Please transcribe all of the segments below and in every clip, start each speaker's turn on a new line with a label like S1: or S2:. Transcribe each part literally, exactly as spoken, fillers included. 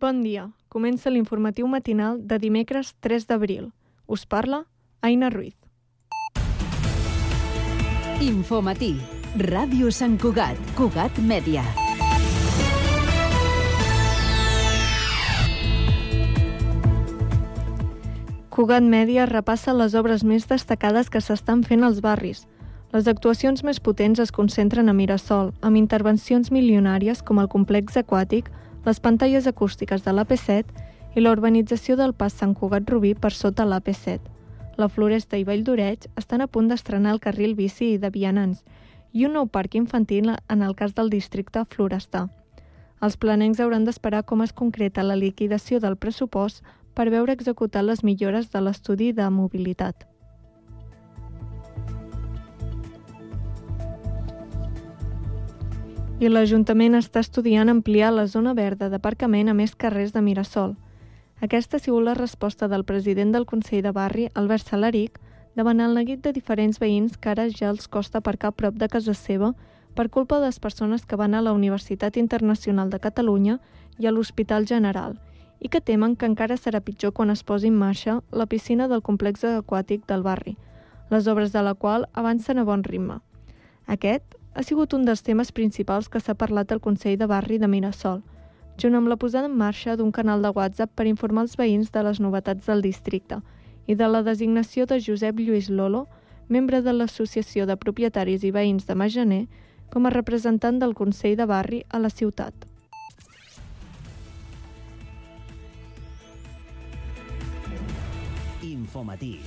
S1: Bon dia. Comença l'informatiu matinal de dimecres tres d'abril. Us parla Aina Ruiz.
S2: Infomatí. Ràdio Sant Cugat. Cugat Mèdia.
S1: Cugat Mèdia repassa les obres més destacades que s'estan fent als barris. Les actuacions més potents es concentren a Mirasol, amb intervencions milionàries com el complex aquàtic, les pantalles acústiques de l'A P set i la urbanització del pas Sant Cugat Rubí per sota l'A P set. La Floresta i Vall d'Oreig estan a punt d'estrenar el carril bici i de vianants i un nou parc infantil en el cas del districte Florestà. Els planencs hauran d'esperar com es concreta la liquidació del pressupost per veure executar les millores de l'estudi de mobilitat. I l'Ajuntament està estudiant ampliar la zona verda d'aparcament a més carrers de Mirasol. Aquesta ha sigut la resposta del president del Consell de Barri, Albert Salaric, davant el neguit de diferents veïns que ara ja els costa aparcar a prop de casa seva per culpa de les persones que van a la Universitat Internacional de Catalunya i a l'Hospital General i que temen que encara serà pitjor quan es posi en marxa la piscina del complex aquàtic del barri, les obres de la qual avancen a bon ritme. Aquest ha sigut un dels temes principals que s'ha parlat al Consell de Barri de Mirasol, junt amb la posada en marxa d'un canal de WhatsApp per informar els veïns de les novetats del districte i de la designació de Josep Lluís Lolo, membre de l'Associació de Propietaris i Veïns de Majaner, com a representant del Consell de Barri a la ciutat.
S2: Infomatí.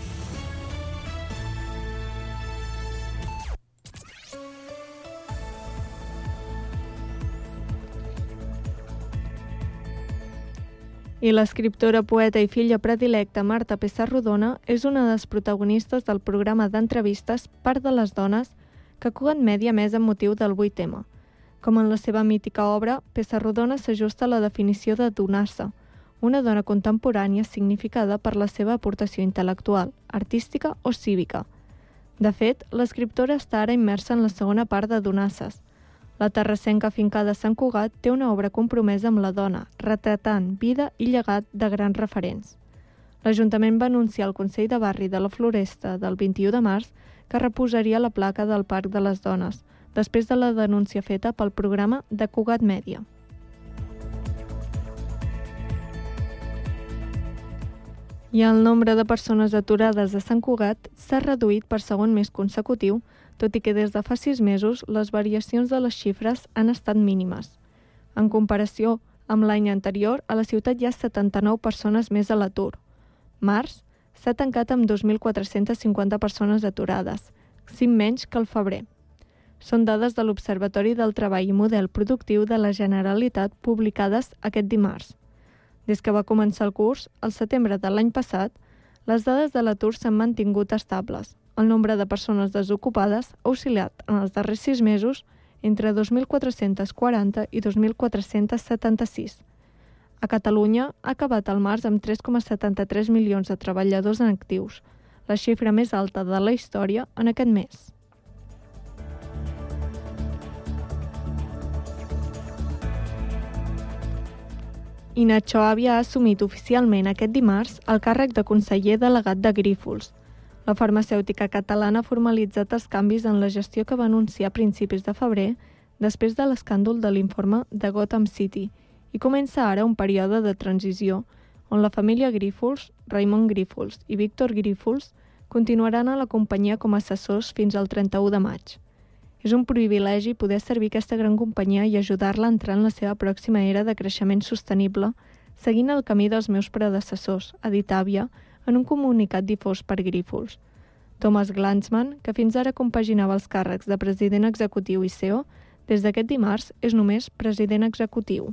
S1: I l'escriptora, poeta i filla predilecta Marta Pessarrodona és una de les protagonistes del programa d'entrevistes Part de les dones que Cugat Mèdia més amb motiu del vuit ema. Com en la seva mítica obra, Pessarrodona s'ajusta a la definició de donar-se, una dona contemporània significada per la seva aportació intel·lectual, artística o cívica. De fet, l'escriptora està ara immersa en la segona part de Donasses. La terrassenca afincada a Sant Cugat té una obra compromesa amb la dona, retratant vida i llegat de grans referents. L'Ajuntament va anunciar al Consell de Barri de la Floresta del vint-i-u de març que reposaria la placa del Parc de les Dones, després de la denúncia feta pel programa de Cugat Mèdia. I el nombre de persones aturades a Sant Cugat s'ha reduït per segon mes consecutiu, tot i que des de fa sis mesos les variacions de les xifres han estat mínimes. En comparació amb l'any anterior, a la ciutat hi ha setanta-nou persones més a l'atur. Març s'ha tancat amb dos mil quatre-cents cinquanta persones aturades, cinc menys que el febrer. Són dades de l'Observatori del Treball i Model Productiu de la Generalitat publicades aquest dimarts. Des que va començar el curs, al setembre de l'any passat, les dades de l'atur s'han mantingut estables. El nombre de persones desocupades ha oscil·lat en els darrers sis mesos entre dos mil quatre-cents quaranta i dos mil quatre-cents setanta-sis. A Catalunya ha acabat el març amb tres coma setanta-tres milions de treballadors en actius, la xifra més alta de la història en aquest mes. I Nacho Àvia ha assumit oficialment aquest dimarts el càrrec de conseller delegat de Grífols. La farmacèutica catalana ha formalitzat els canvis en la gestió que va anunciar a principis de febrer després de l'escàndol de l'informe de Gotham City i comença ara un període de transició on la família Grífols, Raimon Grífols i Víctor Grífols continuaran a la companyia com a assessors fins al trenta-u de maig. És un privilegi poder servir aquesta gran companyia i ajudar-la a entrar en la seva pròxima era de creixement sostenible, seguint el camí dels meus predecessors, ha dit Àvia, en un comunicat difós per Grífols. Thomas Glanzman, que fins ara compaginava els càrrecs de president executiu i C E O, des d'aquest dimarts és només president executiu.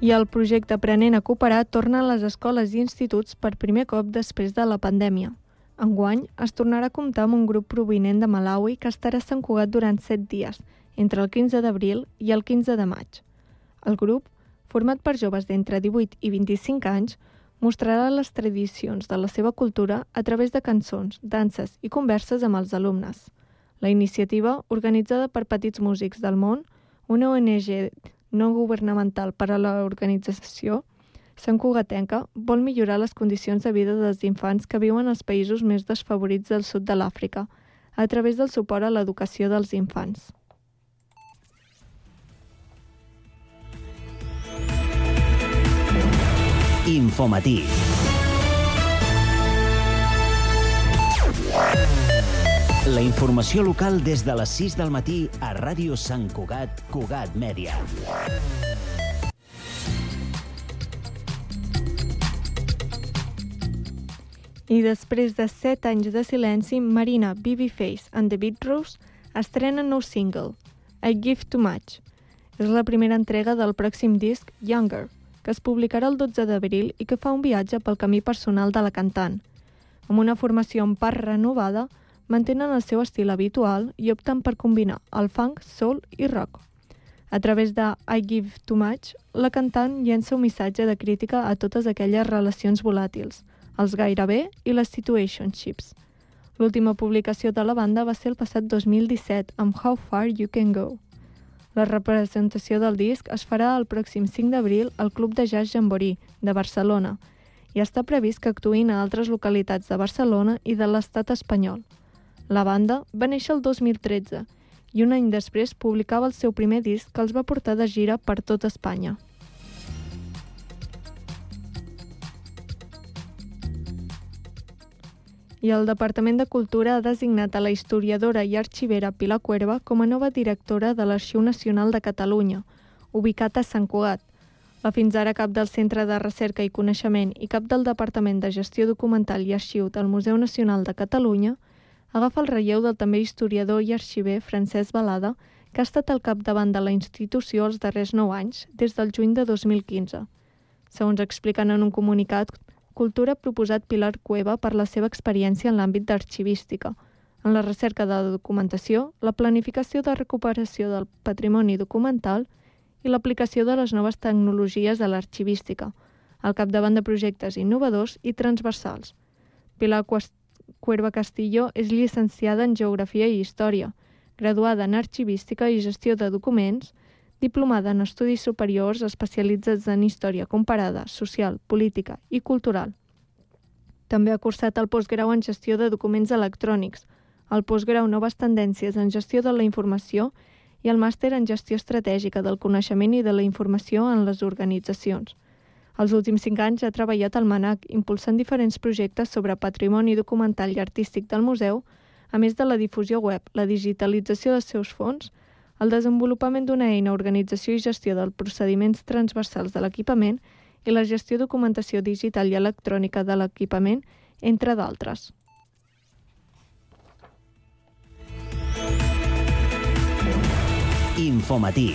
S1: I el projecte Aprenent a Cooperar torna a les escoles i instituts per primer cop després de la pandèmia. Enguany es tornarà a comptar amb un grup provinent de Malawi que estarà a Sant Cugat durant set dies, entre el quinze d'abril i el quinze de maig. El grup, format per joves d'entre divuit i vint-i-cinc anys, mostrarà les tradicions de la seva cultura a través de cançons, danses i converses amb els alumnes. La iniciativa, organitzada per Petits Músics del Món, una O N G no governamental per a l'organització santcugatenca, vol millorar les condicions de vida dels infants que viuen als països més desfavorits del sud de l'Àfrica, a través del suport a l'educació dels infants.
S2: Infomatí. La informació local des de les sis del matí a Ràdio Sant Cugat, Cugat Mèdia.
S1: I després de set anys de silenci, Marina, Babyface and the Beatrose estrenen nou single, I Give Too Much. És la primera entrega del pròxim disc, Younger, que es publicarà el dotze d'abril i que fa un viatge pel camí personal de la cantant. Amb una formació en part renovada, mantenen el seu estil habitual i opten per combinar el funk, soul i rock. A través de I Give Too Much, la cantant llença un missatge de crítica a totes aquelles relacions volàtils, els gairebé i les situationships. L'última publicació de la banda va ser el passat dos mil disset amb How Far You Can Go. La representació del disc es farà el pròxim cinc d'abril al Club de Jazz Jamboree, de Barcelona, i està previst que actuïn a altres localitats de Barcelona i de l'estat espanyol. La banda va néixer el dos mil tretze i un any després publicava el seu primer disc que els va portar de gira per tot Espanya. I el Departament de Cultura ha designat a la historiadora i arxivera Pilar Cuerva com a nova directora de l'Arxiu Nacional de Catalunya, ubicat a Sant Cugat. La fins ara cap del Centre de Recerca i Coneixement i cap del Departament de Gestió Documental i Arxiu del Museu Nacional de Catalunya agafa el relleu del també historiador i arxiver Francesc Balada, que ha estat al capdavant de la institució els darrers nou anys, des del juny de dos mil quinze. Segons expliquen en un comunicat, Cultura ha proposat Pilar Cueva per la seva experiència en l'àmbit d'arxivística, en la recerca de la documentació, la planificació de recuperació del patrimoni documental i l'aplicació de les noves tecnologies a l'arxivística, al capdavant de projectes innovadors i transversals. Pilar Cuerva Castillo és llicenciada en Geografia i Història, graduada en Arxivística i Gestió de Documents, diplomada en Estudis Superiors especialitzats en Història Comparada, Social, Política i Cultural. També ha cursat el postgrau en Gestió de Documents Electrònics, el postgrau Noves Tendències en Gestió de la Informació i el màster en Gestió Estratègica del Coneixement i de la Informació en les Organitzacions. Els últims cinc anys ha treballat al MANAC, impulsant diferents projectes sobre patrimoni documental i artístic del museu, a més de la difusió web, la digitalització dels seus fons, el desenvolupament d'una eina, organització i gestió dels procediments transversals de l'equipament i la gestió documentació digital i electrònica de l'equipament, entre d'altres.
S2: Infomatí.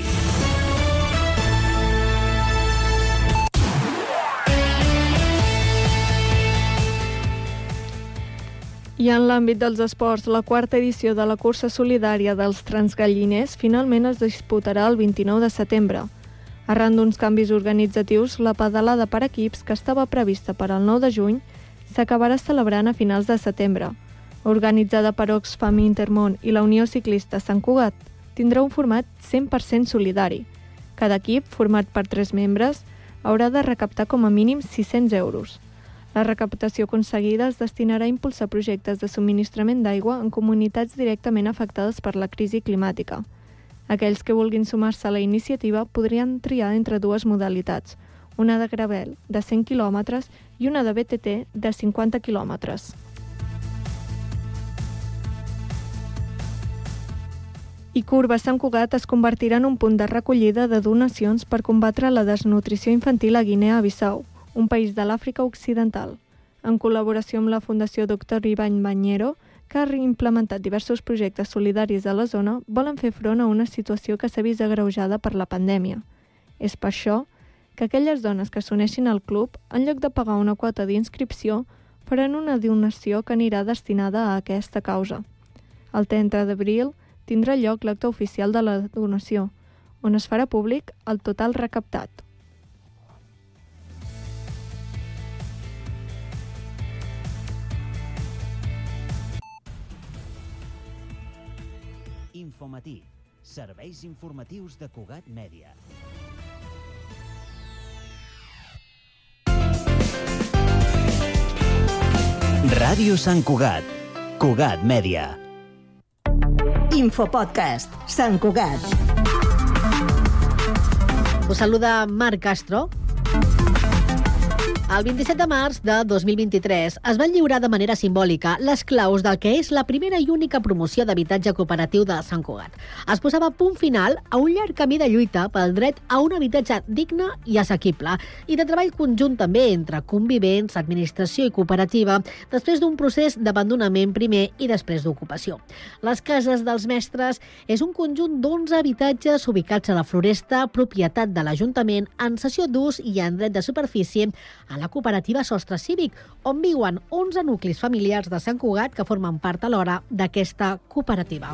S1: I en l'àmbit dels esports, la quarta edició de la cursa solidària dels Transgalliners finalment es disputarà el vint-i-nou de setembre. Arran d'uns canvis organitzatius, la pedalada per equips, que estava prevista per al nou de juny, s'acabarà celebrant a finals de setembre. Organitzada per Oxfam Intermón i la Unió Ciclista Sant Cugat, tindrà un format cent per cent solidari. Cada equip, format per tres membres, haurà de recaptar com a mínim sis-cents euros. La recaptació aconseguida es destinarà a impulsar projectes de subministrament d'aigua en comunitats directament afectades per la crisi climàtica. Aquells que vulguin sumar-se a la iniciativa podrien triar entre dues modalitats, una de gravel de cent quilòmetres i una de B T T de cinquanta quilòmetres. I Curva Sant Cugat es convertirà en un punt de recollida de donacions per combatre la desnutrició infantil a Guinea-Bissau, un país de l'Àfrica Occidental. En col·laboració amb la Fundació doctor Ibany Bañero, que ha implementat diversos projectes solidaris a la zona, volen fer front a una situació que s'ha vist agreujada per la pandèmia. És per això que aquelles dones que s'uneixin al club, en lloc de pagar una quota d'inscripció, faran una donació que anirà destinada a aquesta causa. El trenta d'abril tindrà lloc l'acte oficial de la donació, on es farà públic el total recaptat.
S2: Infomatí, serveis informatius de Cugat Mèdia. Ràdio Sant Cugat, Cugat Mèdia.
S3: Infopodcast, Sant Cugat.
S4: Us saluda Marc Castro. El vint-i-set de març de dos mil vint-i-tres es van lliurar de manera simbòlica les claus del que és la primera i única promoció d'habitatge cooperatiu de Sant Cugat. Es posava punt final a un llarg camí de lluita pel dret a un habitatge digne i assequible i de treball conjunt també entre convivents, administració i cooperativa després d'un procés d'abandonament primer i després d'ocupació. Les Cases dels Mestres és un conjunt d'onze habitatges ubicats a la Floresta, propietat de l'Ajuntament, en cessió d'ús i en dret de superfície a la cooperativa Sostre Cívic, on viuen onze nuclis familiars de Sant Cugat que formen part alhora d'aquesta cooperativa.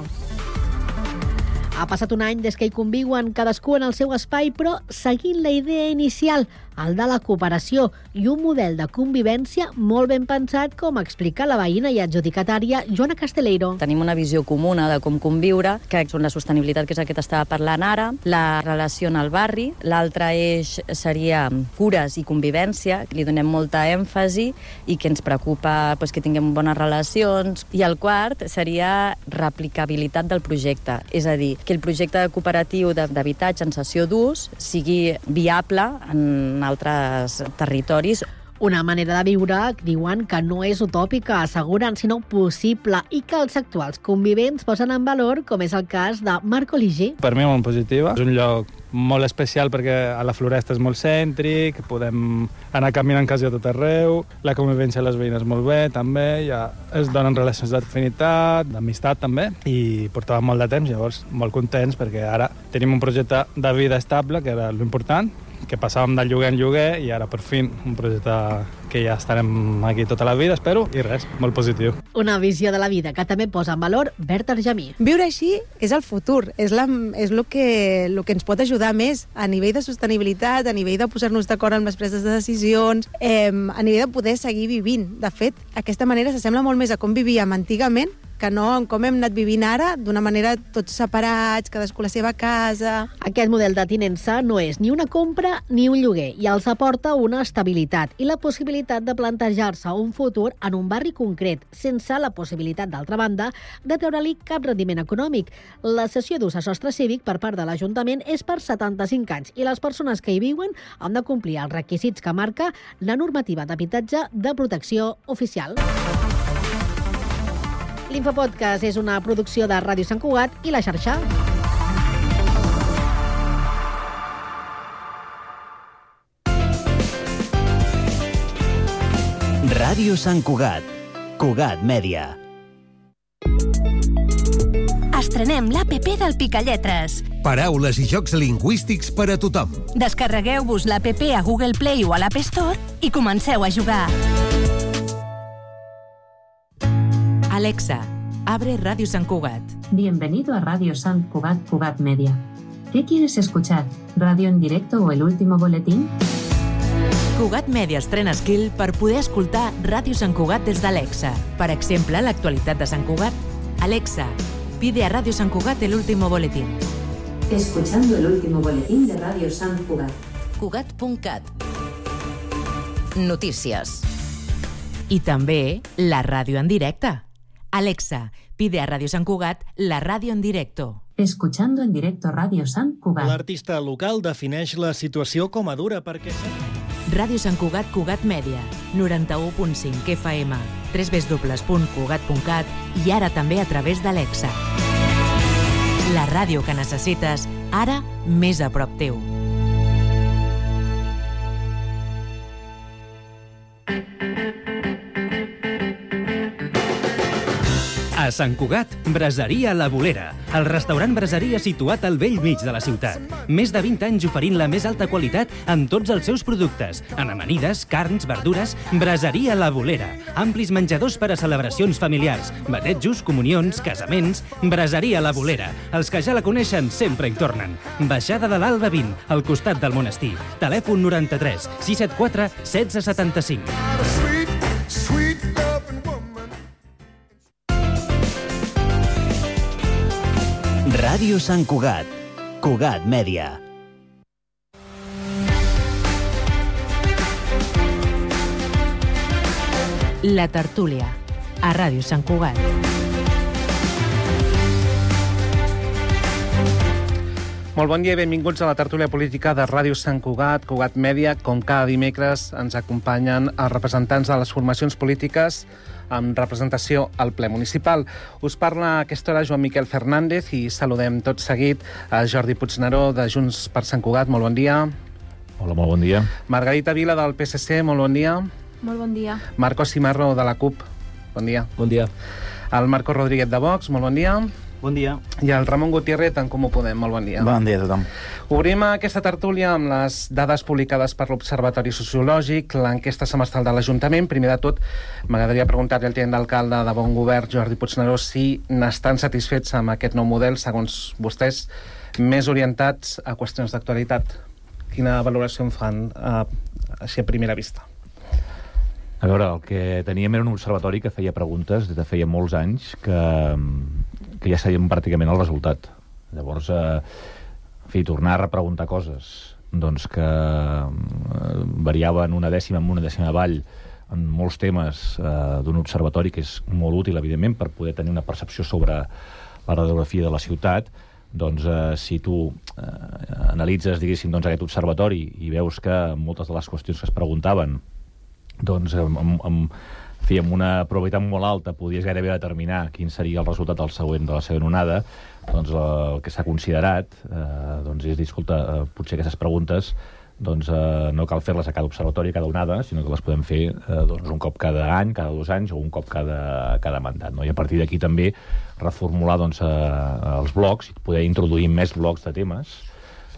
S4: Ha passat un any des que hi conviuen cadascú en el seu espai, però seguint la idea inicial, el de la cooperació i un model de convivència molt ben pensat, com explica la veïna i adjudicatària Joana Casteleiro.
S5: Tenim una visió comuna de com conviure, que és la sostenibilitat, que és el que t'estava parlant ara, la relació en el barri, l'altre eix seria cures i convivència, li donem molta èmfasi i que ens preocupa doncs, que tinguem bones relacions, i el quart seria replicabilitat del projecte, és a dir, que el projecte cooperatiu d'habitatge en cessió d'ús sigui viable en altres territoris.
S4: Una manera de viure, diuen, que no és utòpica, asseguren, sinó possible, i que els actuals convivents posen en valor, com és el cas de Marco Ligi.
S6: Per mi molt positiva. És un lloc molt especial perquè a la Floresta és molt cèntric, podem anar caminant quasi a tot arreu, la convivència a les veïnes molt bé, també, ja es donen relacions d'afinitat, d'amistat també, i portàvem molt de temps, llavors molt contents perquè ara tenim un projecte de vida estable, que era l'important, que passàvem de lloguer en lloguer i ara per fi un projecte que ja estarem aquí tota la vida, espero, i res, molt positiu.
S4: Una visió de la vida que també posa en valor Berta Argemí.
S7: Viure així és el futur, és, la, és el, que, el que ens pot ajudar més a nivell de sostenibilitat, a nivell de posar-nos d'acord amb les preses de decisions, eh, a nivell de poder seguir vivint. De fet, aquesta manera s'assembla molt més a com vivíem antigament que no en com hem anat vivint ara, d'una manera tots separats, cadascú a la seva casa.
S4: Aquest model de tinença no és ni una compra ni un lloguer i els aporta una estabilitat i la possibilitat de plantejar-se un futur en un barri concret, sense la possibilitat, d'altra banda, de treure-li cap rendiment econòmic. La cessió d'ús a Sostre Cívic per part de l'Ajuntament és per setanta-cinc anys i les persones que hi viuen han de complir els requisits que marca la normativa d'habitatge de protecció oficial. L'Infopodcast és una producció de Ràdio Sant Cugat i La Xarxa.
S2: Ràdio Sant Cugat, Cugat Mèdia.
S3: Estrenem l'A P P del Picalletres.
S8: Paraules i jocs lingüístics per a tothom.
S3: Descarregueu-vos l'A P P a Google Play o a l'App Store i comenceu a jugar.
S9: Alexa, abre Radio Sant Cugat.
S10: Bienvenido a Radio Sant Cugat, Cugat Media. ¿Qué quieres escuchar? ¿Radio en directo o el último boletín?
S9: Cugat Media estrena skill per poder escoltar Ràdio Sant Cugat des d'Alexa. Per exemple, l'actualitat de Sant Cugat. Alexa, pide a Radio Sant Cugat el último boletín.
S10: Escuchando el último boletín de Radio Sant Cugat.
S9: Cugat punt cat. Notícies. I també la ràdio en directe. Alexa, pide a Radio Sant Cugat la ràdio en directo.
S10: Escuchando en directo Radio Sant Cugat.
S11: L'artista local defineix la situació com a dura perquè...
S9: Ràdio Sant Cugat, Cugat Mèdia, noranta-u punt cinc F M, w w w punt cugat punt cat i ara també a través d'Alexa. La ràdio que necessites, ara més a prop teu.
S12: A Sant Cugat, Braseria La Bolera, el restaurant braseria situat al vell mig de la ciutat. Més de vint anys oferint la més alta qualitat en tots els seus productes, en amanides, carns, verdures. Braseria La Bolera, amplis menjadors per a celebracions familiars, batejos, comunions, casaments. Braseria La Bolera, els que ja la coneixen sempre hi tornen. Baixada de l'Alba vint, al costat del monestir. Telèfon noranta-tres sis set quatre setze setanta-cinc.
S2: Ràdio Sant Cugat. Cugat Mèdia.
S9: La tertúlia, a Ràdio Sant Cugat.
S13: Molt bon dia i benvinguts a la tertúlia política de Ràdio Sant Cugat, Cugat Mèdia. Com cada dimecres ens acompanyen els representants de les formacions polítiques amb representació al ple municipal. Us parla a aquesta hora Joan Miquel Fernández i saludem tot seguit a Jordi Puigneró de Junts per Sant Cugat. Molt bon dia.
S14: Hola, molt bon dia.
S13: Margarita Vila del P S C, molt bon dia.
S15: Molt bon dia.
S13: Marcos Cimarro de la CUP, bon dia.
S16: Bon dia.
S13: El Marcos Rodríguez de Vox, molt bon dia.
S16: Bon dia.
S13: I el Ramon Gutiérrez, en Comú Podem, molt bon dia.
S17: Bon dia a tothom.
S13: Obrim aquesta tertúlia amb les dades publicades per l'Observatori Sociològic, l'enquesta semestral de l'Ajuntament. Primer de tot, m'agradaria preguntar-li al tinent d'alcalde de Bon Govern, Jordi Puigneró, si n'estan satisfets amb aquest nou model, segons vostès, més orientats a qüestions d'actualitat. Quina valoració en fan eh, així a primera vista?
S14: A veure, el que teníem era un observatori que feia preguntes des de feia molts anys que, que ja sabíem pràcticament el resultat. Llavors, eh, en fi, tornar a repreguntar coses doncs que eh, variaven una dècima amb una dècima avall en molts temes eh, d'un observatori que és molt útil, evidentment, per poder tenir una percepció sobre la radiografia de la ciutat. Doncs eh, si tu eh, analitzes, diguéssim, doncs, aquest observatori i veus que moltes de les qüestions que es preguntaven doncs amb, amb, amb, fi, amb una probabilitat molt alta podies gairebé determinar quin seria el resultat del següent, de la següent onada, doncs el que s'ha considerat eh, doncs és dir, escolta, eh, potser aquestes preguntes doncs eh, no cal fer-les a cada observatori, a cada onada, sinó que les podem fer eh, doncs, un cop cada any, cada dos anys o un cop cada, cada mandat. No? I a partir d'aquí també reformular doncs, eh, els blocs i poder introduir més blocs de temes,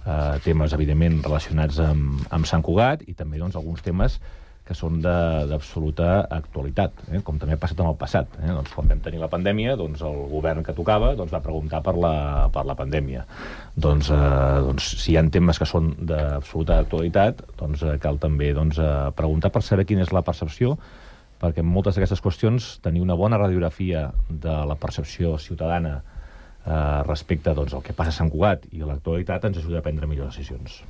S14: eh, temes evidentment relacionats amb, amb Sant Cugat i també doncs, alguns temes que són d'absoluta actualitat, eh? Com també ha passat en el passat. Eh? Doncs, quan vam tenir la pandèmia, doncs, el govern que tocava doncs, va preguntar per la, per la pandèmia. Doncs, eh, doncs, si hi ha temes que són d'absoluta actualitat, doncs, eh, cal també doncs, eh, preguntar per saber quina és la percepció, perquè en moltes d'aquestes qüestions tenir una bona radiografia de la percepció ciutadana eh, respecte doncs, al que passa a Sant Cugat i a l'actualitat ens ajuda a prendre millors decisions.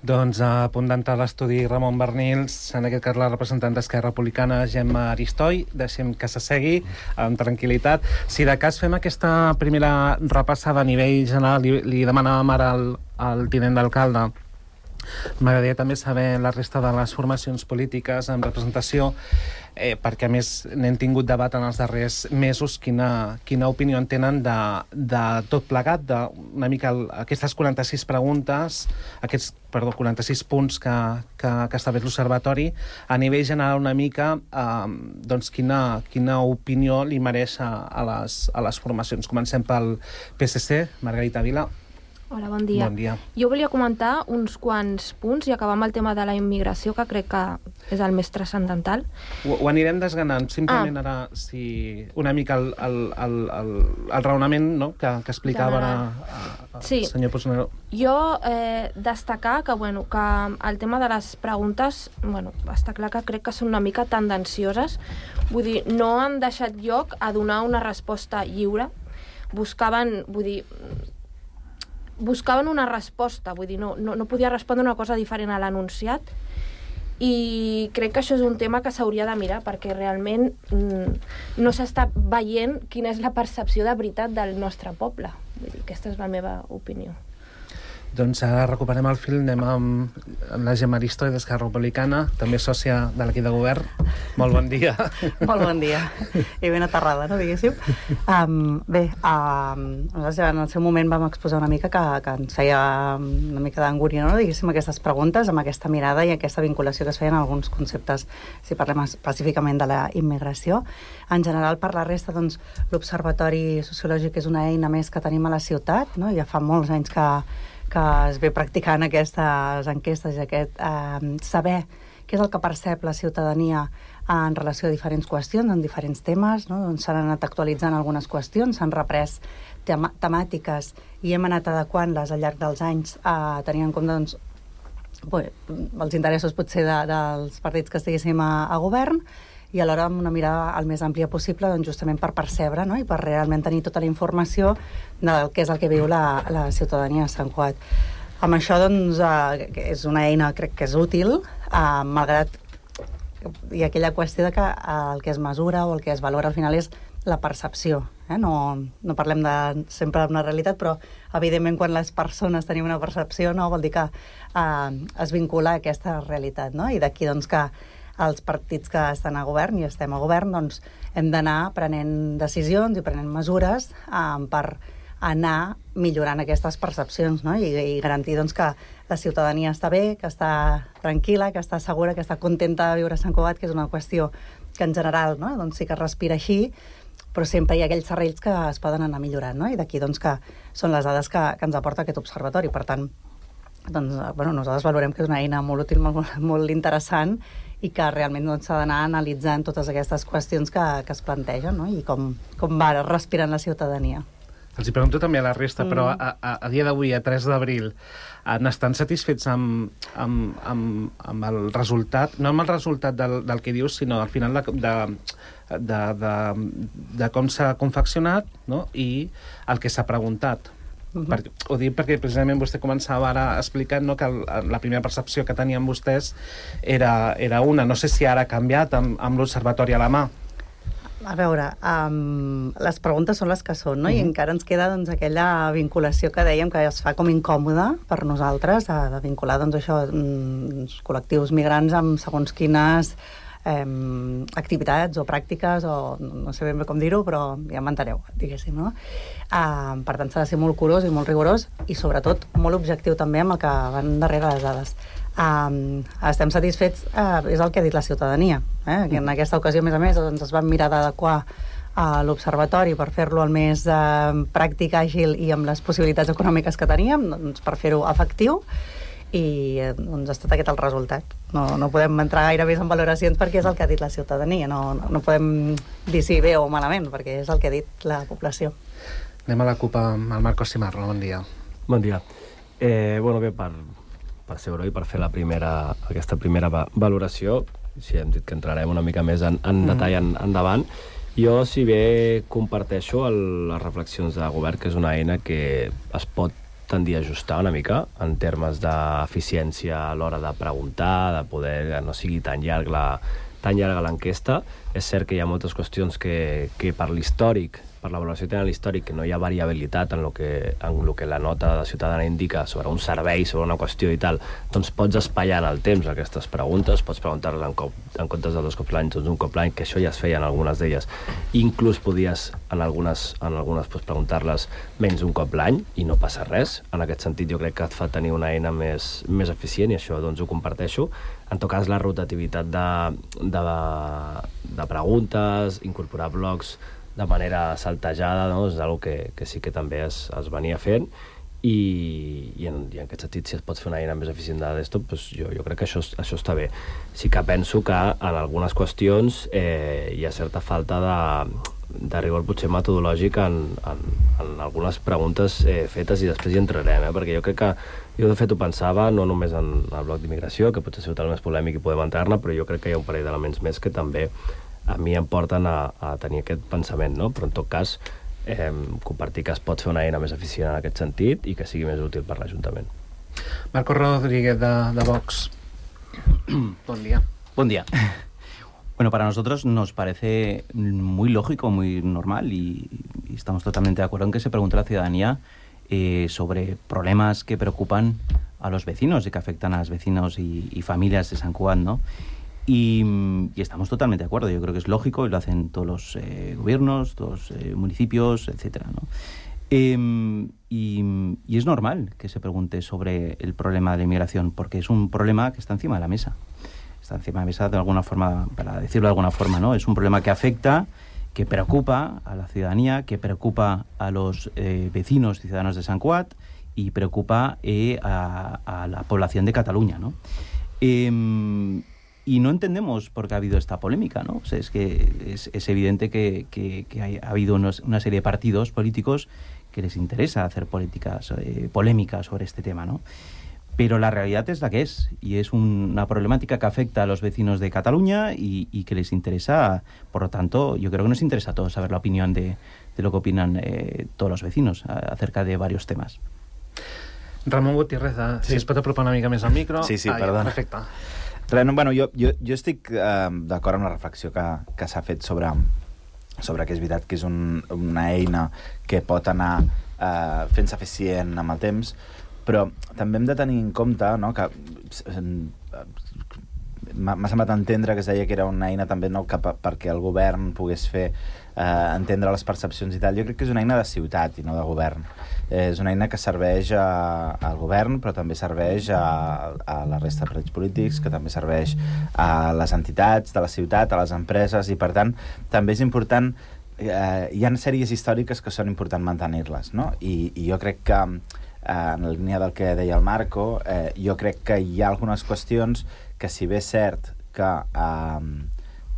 S13: Doncs a punt d'entrar a l'estudi Ramon Bernils, en aquest cas la representant d'Esquerra Republicana, Gemma Aristoi. Deixem que s'assegui amb tranquil·litat. Si de cas fem aquesta primera repassada a nivell general, li, li demanàvem ara al, al tinent d'alcalde. M'agradaria també saber la resta de les formacions polítiques en representació, eh, perquè a més n'hem tingut debat en els darrers mesos, quina, quina opinió en tenen de, de tot plegat, de una mica el, aquestes quaranta-sis preguntes, aquests, perdó, quaranta-sis punts que, que, que estableix l'Observatori, a nivell general una mica, eh, doncs quina, quina opinió li mereix a, a, les, a les formacions. Comencem pel P S C, Margarita Vila.
S15: Hola, bon dia.
S13: Bon dia.
S15: Jo volia comentar uns quants punts i acabar amb el tema de la immigració, que crec que és el més transcendental.
S13: Ho, ho anirem desgranant. Simplement ah. ara, si una mica el, el, el, el, el raonament, no?, que, que explicava ara el
S15: sí.
S13: senyor Puigneró.
S15: Jo eh, destacar que, bueno, que el tema de les preguntes, bueno, està clar que crec que són una mica tendencioses. Vull dir, no han deixat lloc a donar una resposta lliure. Buscaven, vull dir... buscaven una resposta, vull dir, no, no, no podia respondre una cosa diferent a l'anunciat, i crec que això és un tema que s'hauria de mirar, perquè realment mm, no s'està veient quina és la percepció de veritat del nostre poble. Vull dir, aquesta és la meva opinió.
S13: Doncs ara recuperem el fil, anem amb, amb la Gemma Aristoi d'Esquerra Republicana, també sòcia de l'equip de govern. Molt bon dia.
S18: Molt bon dia. I ben aterrada, no, diguéssim. Um, bé, um, nosaltres en el seu moment vam exposar una mica que, que ens feia una mica d'angúnia, no, diguéssim, aquestes preguntes, amb aquesta mirada i aquesta vinculació que es feien alguns conceptes, si parlem específicament de la immigració. En general, per la resta, doncs, l'Observatori Sociològic és una eina més que tenim a la ciutat, no? Ja fa molts anys que que es ve practicant aquestes enquestes i aquest eh, saber què és el que percep la ciutadania en relació a diferents qüestions, en diferents temes, no? Doncs s'han anat actualitzant algunes qüestions, s'han reprès tema temàtiques i hem anat adequant-les al llarg dels anys a tenir en compte doncs, bé, els interessos potser de, dels partits que estiguéssim a, a govern, i alhora amb una mirada el més àmplia possible, doncs, justament per percebre, no? I per realment tenir tota la informació del que és el que viu la, la ciutadania de Sant Cugat. Amb això, doncs, eh, és una eina, crec que és útil, eh, malgrat hi ha aquella qüestió de que el que es mesura o el que es valora al final és la percepció. Eh? No, no parlem de sempre d'una realitat, però evidentment quan les persones tenim una percepció no vol dir que eh, es vincula a aquesta realitat. No? I d'aquí doncs, que els partits que estan a govern i estem a govern doncs, hem d'anar prenent decisions i prenent mesures eh, per anar millorant aquestes percepcions, no? I, i garantir doncs, que la ciutadania està bé, que està tranquil·la, que està segura, que està contenta de viure a Sant Cugat, que és una qüestió que en general, no? Doncs sí que es respira així, però sempre hi ha aquells serrells que es poden anar millorant, no? I d'aquí doncs, que són les dades que, que ens aporta aquest observatori. Per tant, doncs, bueno, nosaltres valorem que és una eina molt útil, molt, molt interessant, i que realment s'ha doncs, d'anar analitzant totes aquestes qüestions que, que es plantegen, no? I com, com va respirant la ciutadania.
S13: Els hi pregunto també a la resta, mm. però a, a, a dia d'avui, a tres d'abril, n'estan satisfets amb, amb, amb, amb el resultat, no amb el resultat del, del que dius, sinó al final de, de, de, de, de com s'ha confeccionat, no? I el que s'ha preguntat. Uh-huh. Per, ho dic perquè precisament vostè començava ara explicant, no, que el, la primera percepció que tenien vostès era, era una. No sé si ara ha canviat amb, amb l'observatori a la mà.
S18: A veure, um, les preguntes són les que són, no? Uh-huh. I encara ens queda doncs, aquella vinculació que dèiem que es fa com incòmoda per nosaltres, de, de vincular doncs, això, mm, col·lectius migrants amb segons quines eh, activitats o pràctiques, o no sé ben bé com dir-ho, però ja m'enteneu, diguéssim, no? Uh, per tant, s'ha de ser molt curós i molt rigorós i, sobretot, molt objectiu també amb el que van darrere les dades. Um, estem satisfets, uh, és el que ha dit la ciutadania, eh? Que en aquesta ocasió, a més a més, doncs, es van mirar d'adequar uh, l'observatori per fer-lo el més uh, pràctic, àgil i amb les possibilitats econòmiques que teníem, doncs, per fer-ho efectiu, i doncs, ha estat aquest el resultat. No, no podem entrar gaire més en valoracions perquè és el que ha dit la ciutadania, no, no, no podem dir si bé o malament, perquè és el que ha dit la població.
S13: Anem a la CUP amb el Marcos Cimarro, bon dia.
S16: Bon dia. Eh, bueno, bé, per... per ser-ho i per fer la primera, aquesta primera va valoració, si hem dit que entrarem una mica més en, en detall en, endavant. Jo, si bé comparteixo el, les reflexions de govern, que és una eina que es pot tendir a ajustar una mica en termes d'eficiència a l'hora de preguntar, de poder que no sigui tan llarg la, tan llarga l'enquesta. És cert que hi ha moltes qüestions que, que per l'històric, per la valoració que tenen l'històric, que no hi ha variabilitat en el que, en lo que la nota de ciutadana indica sobre un servei, sobre una qüestió i tal, doncs pots espaiar en el temps aquestes preguntes, pots preguntar-les en, cop, en comptes de dos cops l'any, doncs un cop l'any, que això ja es feia en algunes d'elles. Inclús podies en algunes, en algunes doncs, preguntar-les menys d'un cop l'any i no passa res. En aquest sentit jo crec que et fa tenir una eina més, més eficient i això doncs ho comparteixo. En tot cas, la rotativitat de, de, de preguntes, incorporar blocs de manera saltejada, no? És una que, que sí que també es, es venia fent i, i, en, i en aquest sentit, si es pot fer una eina més eficient de desktop, doncs jo, jo crec que això, això està bé. Sí que penso que en algunes qüestions eh, hi ha certa falta de, de rigor potser metodològic en, en, en algunes preguntes eh, fetes i després hi entrarem, eh? Perquè jo crec que jo de fet ho pensava no només en el bloc d'immigració, que potser és el més polèmic i podem entrar-ne, però jo crec que hi ha un parell d'elements més que també a mi em porten a, a tenir aquest pensament, no? Però en tot cas eh, compartir que es pot fer una eina més eficient en aquest sentit i que sigui més útil per l'Ajuntament.
S13: Marco Rodríguez de, de Vox. Buen día.
S17: Buen día. Bueno, para nosotros nos parece muy lógico, muy normal y, y estamos totalmente de acuerdo en que se pregunte a la ciudadanía eh, sobre problemas que preocupan a los vecinos y que afectan a los vecinos y, y familias de Sant Cugat, ¿no? Y, y estamos totalmente de acuerdo. Yo creo que es lógico y lo hacen todos los eh, gobiernos, todos los eh, municipios, etcétera, ¿no? Eh, y, y es normal que se pregunte sobre el problema de la inmigración porque es un problema que está encima de la mesa. Está encima de la mesa de alguna forma, para decirlo de alguna forma, ¿no? Es un problema que afecta, que preocupa a la ciudadanía, que preocupa a los eh, vecinos y ciudadanos de Sant Cugat y preocupa eh, a, a la población de Cataluña, ¿no? Eh, Y no entendemos por qué ha habido esta polémica, ¿no? O sea, es que es, es evidente que, que, que hay, ha habido unos, una serie de partidos políticos que les interesa hacer políticas, eh, polémicas sobre este tema, ¿no? pero la realidad es la que es, y es una problemática que afecta a los vecinos de Cataluña y, y que les interesa, por lo tanto, yo creo que nos interesa a todos saber la opinión de, de lo que opinan eh, todos los vecinos a, acerca de varios temas.
S13: Ramon Gutiérrez, sí. Si es pot apropar una mica més al micro.
S19: Sí, sí,
S13: ah,
S19: perdona.
S13: Perfecte.
S19: Res, no, bueno, jo, jo, jo estic eh, d'acord amb la reflexió que, que s'ha fet sobre, sobre que és veritat que és un, una eina que pot anar eh, fent-se eficient amb el temps, però també hem de tenir en compte, no, que m'ha semblat entendre que es deia que era una eina també, no, que perquè el govern pogués fer eh, entendre les percepcions i tal. Jo crec que és una eina de ciutat i no de govern. Eh, és una eina que serveix a, al govern, però també serveix a, a la resta de partits polítics, que també serveix a les entitats de la ciutat, a les empreses, i per tant també és important, eh, hi ha sèries històriques que són important mantenir-les, no? I, i jo crec que eh, en la línia del que deia el Marco, eh, jo crec que hi ha algunes qüestions que, si bé és cert que, eh,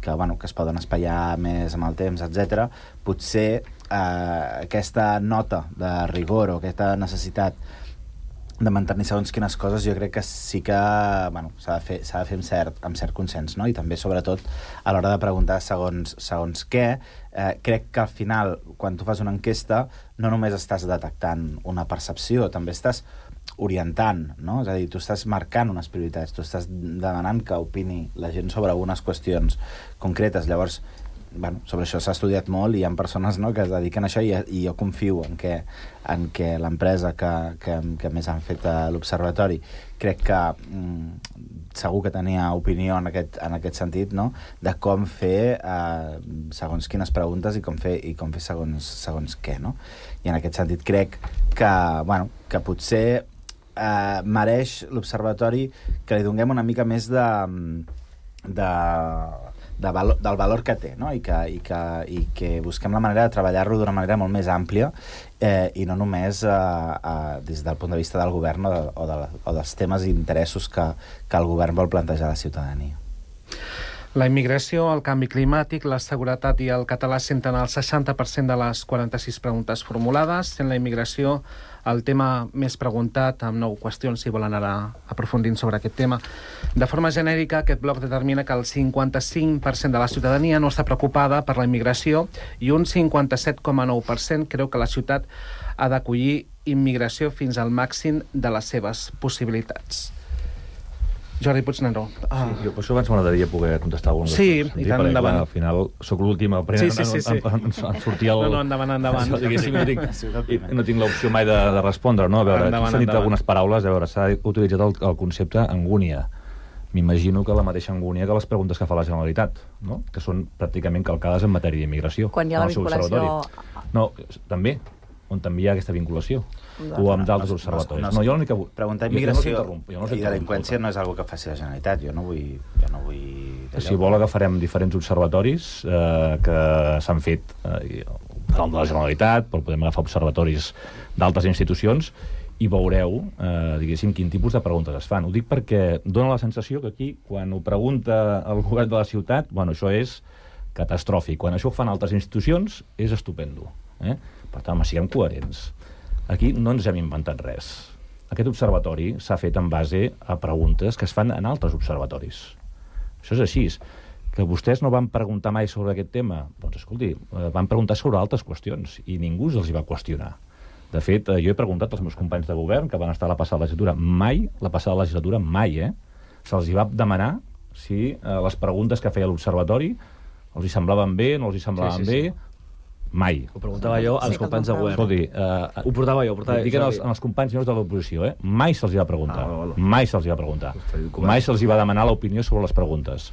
S19: que, bueno, que es poden espaiar més amb el temps, etcètera, potser eh, aquesta nota de rigor o aquesta necessitat de mantenir segons quines coses, jo crec que sí que, bueno, s'ha de fer, s'ha de fer amb cert, amb cert consens, no? I també, sobretot, a l'hora de preguntar segons, segons què, eh, crec que al final, quan tu fas una enquesta, no només estàs detectant una percepció, també estàs orientant, no? És a dir, tu estàs marcant unes prioritats, tu estàs demanant que opini la gent sobre algunes qüestions concretes. Llavors, bueno, sobre això s'ha estudiat molt i hi ha persones, no, que es dediquen a això, i, i jo confio en que, en que l'empresa que, que, que més han fet a l'Observatori, crec que mm, segur que tenia opinió en aquest, en aquest sentit, no?, de com fer eh, segons quines preguntes i com fer, i com fer segons, segons què, no? I en aquest sentit crec que, bueno, que potser eh, mereix l'Observatori que li donem una mica més de... de De valor, del valor que té, no? I que, i que, i que busquem la manera de treballar-lo d'una manera molt més àmplia eh, i no només eh, eh, des del punt de vista del govern o, de, o, de, o dels temes i interessos que, que el govern vol plantejar a la ciutadania.
S13: La immigració, el canvi climàtic, la seguretat i el català senten el seixanta per cent de les quaranta-sis preguntes formulades, sent la immigració el tema més preguntat, amb nou qüestions, si volen anar aprofundint sobre aquest tema. De forma genèrica, aquest bloc determina que el cinquanta-cinc per cent de la ciutadania no està preocupada per la immigració i un cinquanta-set coma nou per cent creu que la ciutat ha d'acollir immigració fins al màxim de les seves possibilitats. Jordi Puigneró.
S14: Ah. Sí, jo per això abans m'agradaria poder contestar alguna cosa.
S13: Sí, i tant, endavant.
S14: Al final soc l'últim a
S13: sí, sí, sí, sí.
S14: En, en, en sortir el...
S13: No, no, endavant, endavant.
S14: No, diguéssim, no tinc, no tinc l'opció mai de, de respondre, no? A veure, endavant, s'han dit algunes paraules, a veure, s'ha utilitzat el, el concepte angúnia. M'imagino que la mateixa angúnia que les preguntes que fa la Generalitat, no? Que són pràcticament calcades en matèria d'immigració.
S20: Quan hi ha la vinculació...
S14: No, també, on també hi ha aquesta vinculació, o amb d'altres observatoris.
S19: No,
S14: no, jo l'única...
S19: Preguntar immigració no i delinqüència no és una que faci la Generalitat. Jo no vull... Jo no vull
S14: si vol, agafarem diferents observatoris eh, que s'han fet eh, de la Generalitat, però podem agafar observatoris d'altres institucions i veureu, eh, diguéssim, quin tipus de preguntes es fan. Ho dic perquè dona la sensació que aquí, quan ho pregunta el govern de la ciutat, bueno, això és catastròfic. Quan això ho fan altres institucions, és estupendo. Eh? Per tant, home, siguem coherents. Aquí no ens hem inventat res. Aquest observatori s'ha fet en base a preguntes que es fan en altres observatoris. Això és així. Que vostès no van preguntar mai sobre aquest tema? Doncs, escolti, van preguntar sobre altres qüestions i ningú els hi va qüestionar. De fet, jo he preguntat als meus companys de govern que van estar a la passada legislatura. Mai, la passada legislatura, mai, eh? Se'ls hi va demanar si eh, les preguntes que feia l'observatori els hi semblaven bé, no els hi semblaven sí, sí, sí. bé... Mai.
S16: Ho preguntava jo als sí, companys de govern.
S14: Escolti, uh,
S16: ho portava jo. Portava
S14: dic als, als companys meus de l'oposició, eh? Mai se'ls hi va preguntar. Ah, bueno. Mai se'ls hi va preguntar. Mai se'ls hi va demanar l'opinió sobre les preguntes.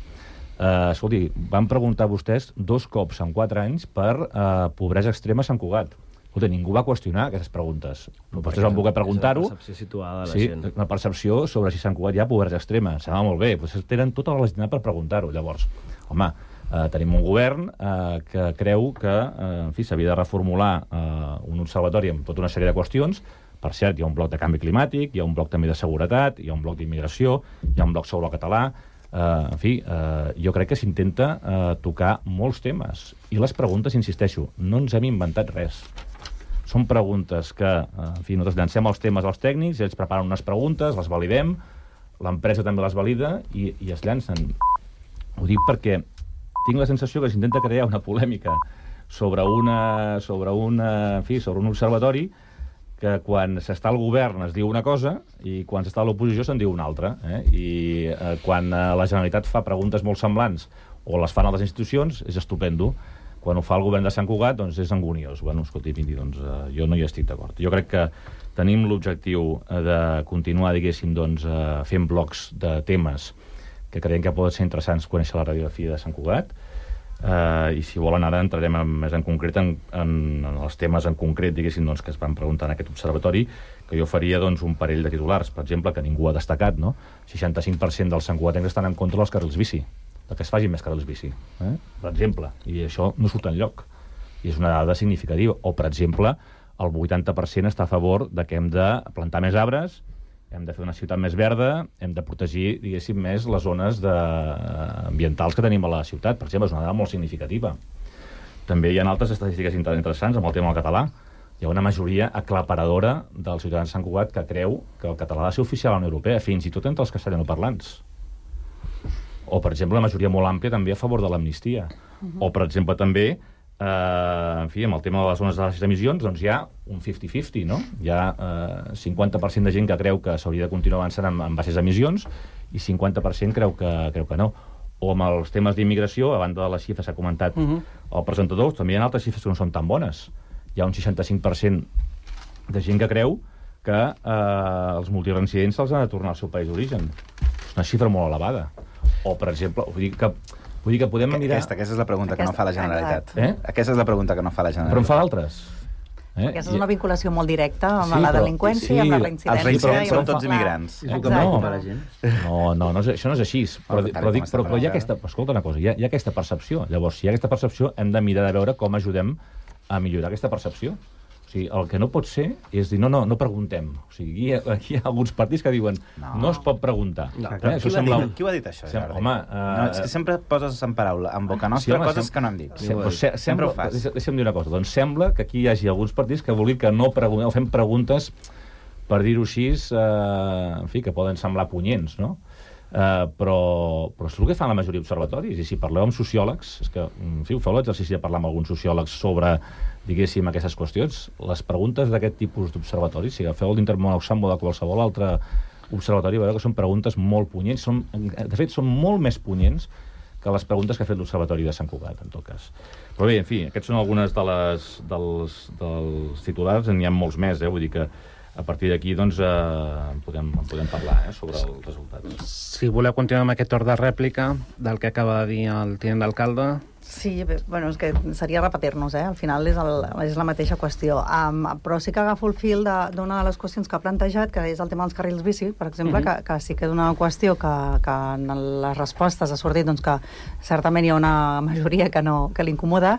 S14: Uh, escolti, van preguntar vostès dos cops en quatre anys per uh, pobresa extrema a Sant Cugat. Escolta, ningú va qüestionar aquestes preguntes. No, vostès van voler preguntar-ho.
S16: És una percepció situada de la
S14: sí,
S16: gent.
S14: Una percepció sobre si a Sant Cugat hi ha pobresa extrema. Sembla molt bé. Vostès tenen tota la legitimitat per preguntar-ho. Llavors, home, Uh, tenim un govern uh, que creu que uh, en fi, s'havia de reformular uh, un observatori amb tota una sèrie de qüestions. Per cert, hi ha un bloc de canvi climàtic, hi ha un bloc també de seguretat, hi ha un bloc d'immigració, hi ha un bloc sobre el català. Uh, en fi, uh, jo crec que s'intenta uh, tocar molts temes. I les preguntes, insisteixo, no ens hem inventat res. Són preguntes que, en fi, nosaltres llancem els temes als tècnics, ells preparen unes preguntes, les validem, l'empresa també les valida i, i es llancen. Ho dic perquè tinc la sensació que s'intenta crear una polèmica sobre, una, sobre, una, en fi, sobre un observatori que quan s'està al govern es diu una cosa i quan s'està a l'oposició se'n diu una altra. Eh? I eh, quan la Generalitat fa preguntes molt semblants o les fan altres institucions, és estupendo. Quan ho fa el govern de Sant Cugat, doncs és anguniós. Bueno, escolti, doncs, eh, jo no hi estic d'acord. Jo crec que tenim l'objectiu de continuar, diguéssim, doncs, eh, fent blocs de temes que creiem que poden ser interessants conèixer la radiografia de Sant Cugat, eh, i si volen ara entrarem en, més en concret en, en, en els temes en concret, diguéssim, doncs, que es van preguntar en aquest observatori, que jo faria doncs, un parell de titulars, per exemple, que ningú ha destacat, no? seixanta-cinc per cent dels santcugatencs estan en contra dels carrils bici, de que es facin més carrils bici, eh? per exemple, i això no surt enlloc, i és una dada significativa. O, per exemple, el vuitanta per cent està a favor de que hem de plantar més arbres, hem de fer una ciutat més verda, hem de protegir, diguéssim, més les zones de... ambientals que tenim a la ciutat. Per exemple, és una dada molt significativa. També hi ha altres estadístiques interessants amb el tema del català. Hi ha una majoria aclaparadora dels ciutadans de Sant Cugat que creu que el català ha de ser oficial a la Unió Europea, fins i tot entre els castellanoparlants. O, per exemple, la majoria molt àmplia també a favor de l'amnistia. Uh-huh. O, per exemple, també, eh, en fi, amb el tema de les zones de baixes emissions, doncs hi ha un cinquanta cinquanta, no? Hi ha eh, cinquanta per cent de gent que creu que s'hauria de continuar avançant amb, amb baixes emissions i cinquanta per cent creu que, creu que no. O amb els temes d'immigració, a banda de les xifres que ha comentat uh-huh. el presentador, també hi ha altres xifres que no són tan bones. Hi ha un seixanta-cinc per cent de gent que creu que eh, els multireincidents se'ls han de tornar al seu país d'origen. És una xifra molt elevada. O, per exemple, vull dir que, vull dir que podem mirar...
S19: Aquesta, aquesta és la pregunta aquesta, que no fa la Generalitat.
S14: Eh?
S19: Aquesta és la pregunta que no fa la Generalitat.
S14: Però en fa d'altres.
S18: Eh? Aquesta és una vinculació molt directa amb sí, la delinqüència i amb la reincidència.
S19: Els reincidents són tots immigrants.
S14: No, no, no, no, això no és així. Però, però, dic, però, però hi ha aquesta... Escolta una cosa, hi ha, hi ha aquesta percepció. Llavors, si hi ha aquesta percepció, hem de mirar de veure com ajudem a millorar aquesta percepció. O sigui, el que no pot ser és dir, no, no, no preguntem. O sigui, aquí, aquí hi ha alguns partits que diuen no, no es pot preguntar.
S19: No, eh? Qui, sembla... dit, qui ho ha dit, això, Jordi? Home, uh... no, és que sempre poses en paraula, en boca nostra, sí, home, coses sem... que no hem dit.
S14: Sí, però se sempre ho fas. Deixa'm dir una cosa. Doncs sembla que aquí hi hagi alguns partits que vulguin que no preguntem, fem preguntes, per dir-ho així, uh, en fi, que poden semblar punyents, no? Uh, però, però és el que fan la majoria d'observatoris. I si parleu amb sociòlegs, és que, en fi, feu l'exercici de parlar amb alguns sociòlegs sobre, diguéssim, aquestes qüestions. Les preguntes d'aquest tipus d'observatoris, si agafeu l'Intermón Oxfam o de qualsevol altre observatori, veureu que són preguntes molt punyents. Són, de fet, són molt més punyents que les preguntes que ha fet l'Observatori de Sant Cugat, en tot cas. Però bé, en fi, aquests són algunes de les, dels, dels titulars, n'hi ha molts més, eh? Vull dir que a partir d'aquí, doncs, eh, podem, podem parlar eh, sobre els resultats.
S13: Si voleu continuar amb aquest torn de rèplica del que acaba de dir el tinent d'alcalde...
S18: Sí, bé, bueno, és que seria repetir-nos, eh? Al final és, el, és la mateixa qüestió. Um, però sí que agafo el fil d'una de, de les qüestions que ha plantejat, que és el tema dels carrils bici, per exemple, mm-hmm. que, que sí que és una qüestió que, que en les respostes ha sortit doncs, que certament hi ha una majoria que, no, que l'incomoda,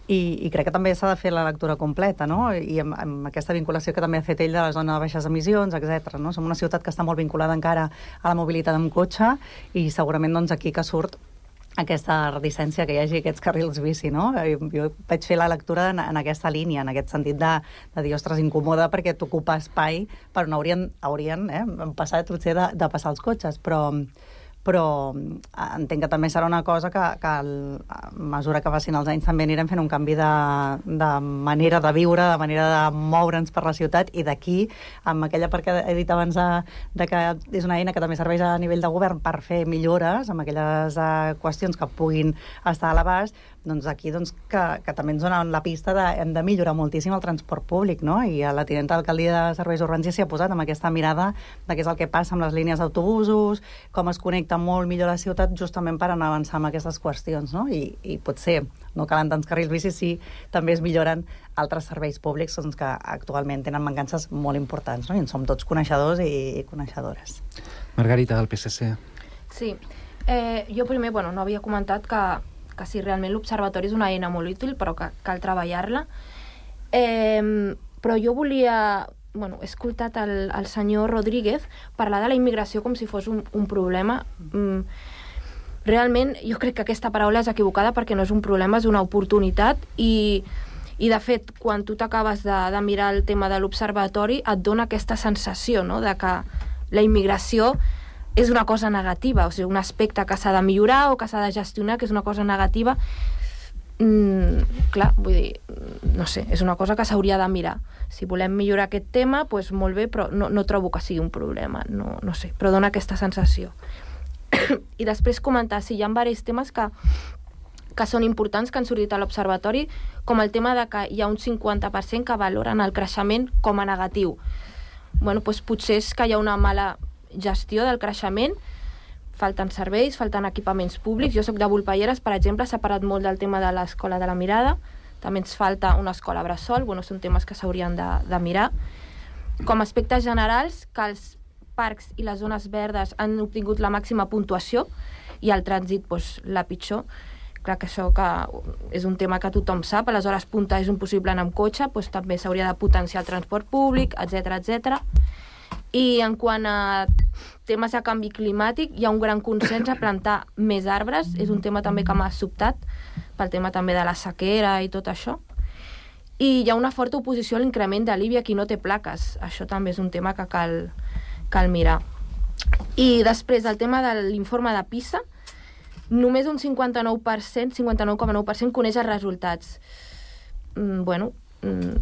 S18: i, i crec que també s'ha de fer la lectura completa, no? I amb, amb aquesta vinculació que també ha fet ell de la zona de baixes emissions, etcètera. No? Som una ciutat que està molt vinculada encara a la mobilitat amb cotxe, i segurament doncs, aquí que surt aquesta reticència que hi hagi aquests carrils bici, no? Jo vaig fer la lectura en, en aquesta línia, en aquest sentit de, de dir, ostres, incomoda perquè t'ocupa espai per on haurien, haurien eh, passat potser de, de passar els cotxes, però, però entenc que també serà una cosa que, que el, a mesura que passin els anys també anirem fent un canvi de, de manera de viure, de manera de moure'ns per la ciutat, i d'aquí, amb aquella part que he dit abans de, de que és una eina que també serveix a nivell de govern per fer millores amb aquelles uh, qüestions que puguin estar a l'abast, doncs aquí doncs, que, que també ens dona la pista de hem de millorar moltíssim el transport públic, no? I a la tinenta d'alcaldia de Serveis Urbans ja s'hi ha posat amb aquesta mirada de què és el que passa amb les línies d'autobusos, com es connecta molt millor la ciutat justament per anar avançant amb aquestes qüestions, no? I, i potser no calen tants carrils bici si també es milloren altres serveis públics doncs, que actualment tenen mancances molt importants, no? I en som tots coneixedors i, i coneixedores.
S13: Margarita, del P S C.
S15: Sí. Eh, jo primer, bueno, no havia comentat que que sí, realment l'observatori és una eina molt útil, però que cal treballar-la. Eh, però jo volia... Bueno, he escoltat el, el senyor Rodríguez parlar de la immigració com si fos un, un problema. Mm, realment, jo crec que aquesta paraula és equivocada perquè no és un problema, és una oportunitat, i, I, de fet, quan tu t'acabes de, de mirar el tema de l'observatori, et dona aquesta sensació, no?, de que la immigració és una cosa negativa, o sigui, un aspecte que s'ha de millorar o que s'ha de gestionar, que és una cosa negativa. Mm, clar, vull dir, no sé, és una cosa que s'hauria de mirar. Si volem millorar aquest tema, doncs molt bé, però no, no trobo que sigui un problema, no, no sé, però dona aquesta sensació. I després comentar, sí, hi ha diversos temes que, que són importants, que han sortit a l'observatori, com el tema de que hi ha un cinquanta per cent que valoren el creixement com a negatiu. Bueno, doncs potser és que hi ha una mala gestió del creixement, falten serveis, falten equipaments públics. Jo soc de Volpelleres, per exemple, s'ha parat molt del tema de l'escola de la Mirada, també ens falta una escola bressol, bueno, són temes que s'haurien de, de mirar. Com a aspectes generals, que els parcs i les zones verdes han obtingut la màxima puntuació i el trànsit, doncs, la pitjor. Clar que això que és un tema que tothom sap, a les hores punta és impossible anar amb cotxe, doncs també s'hauria de potenciar el transport públic, etcètera, etcètera. I en quant a temes de canvi climàtic, hi ha un gran consens a plantar més arbres, és un tema també que m'ha sobtat, pel tema també de la sequera i tot això. I hi ha una forta oposició a l'increment de l'I B I a qui no té plaques, això també és un tema que cal, cal mirar. I després el tema de l'informe de PISA, només un cinquanta-nou per cent, cinquanta-nou coma nou per cent coneix els resultats. Mm, bueno, mm,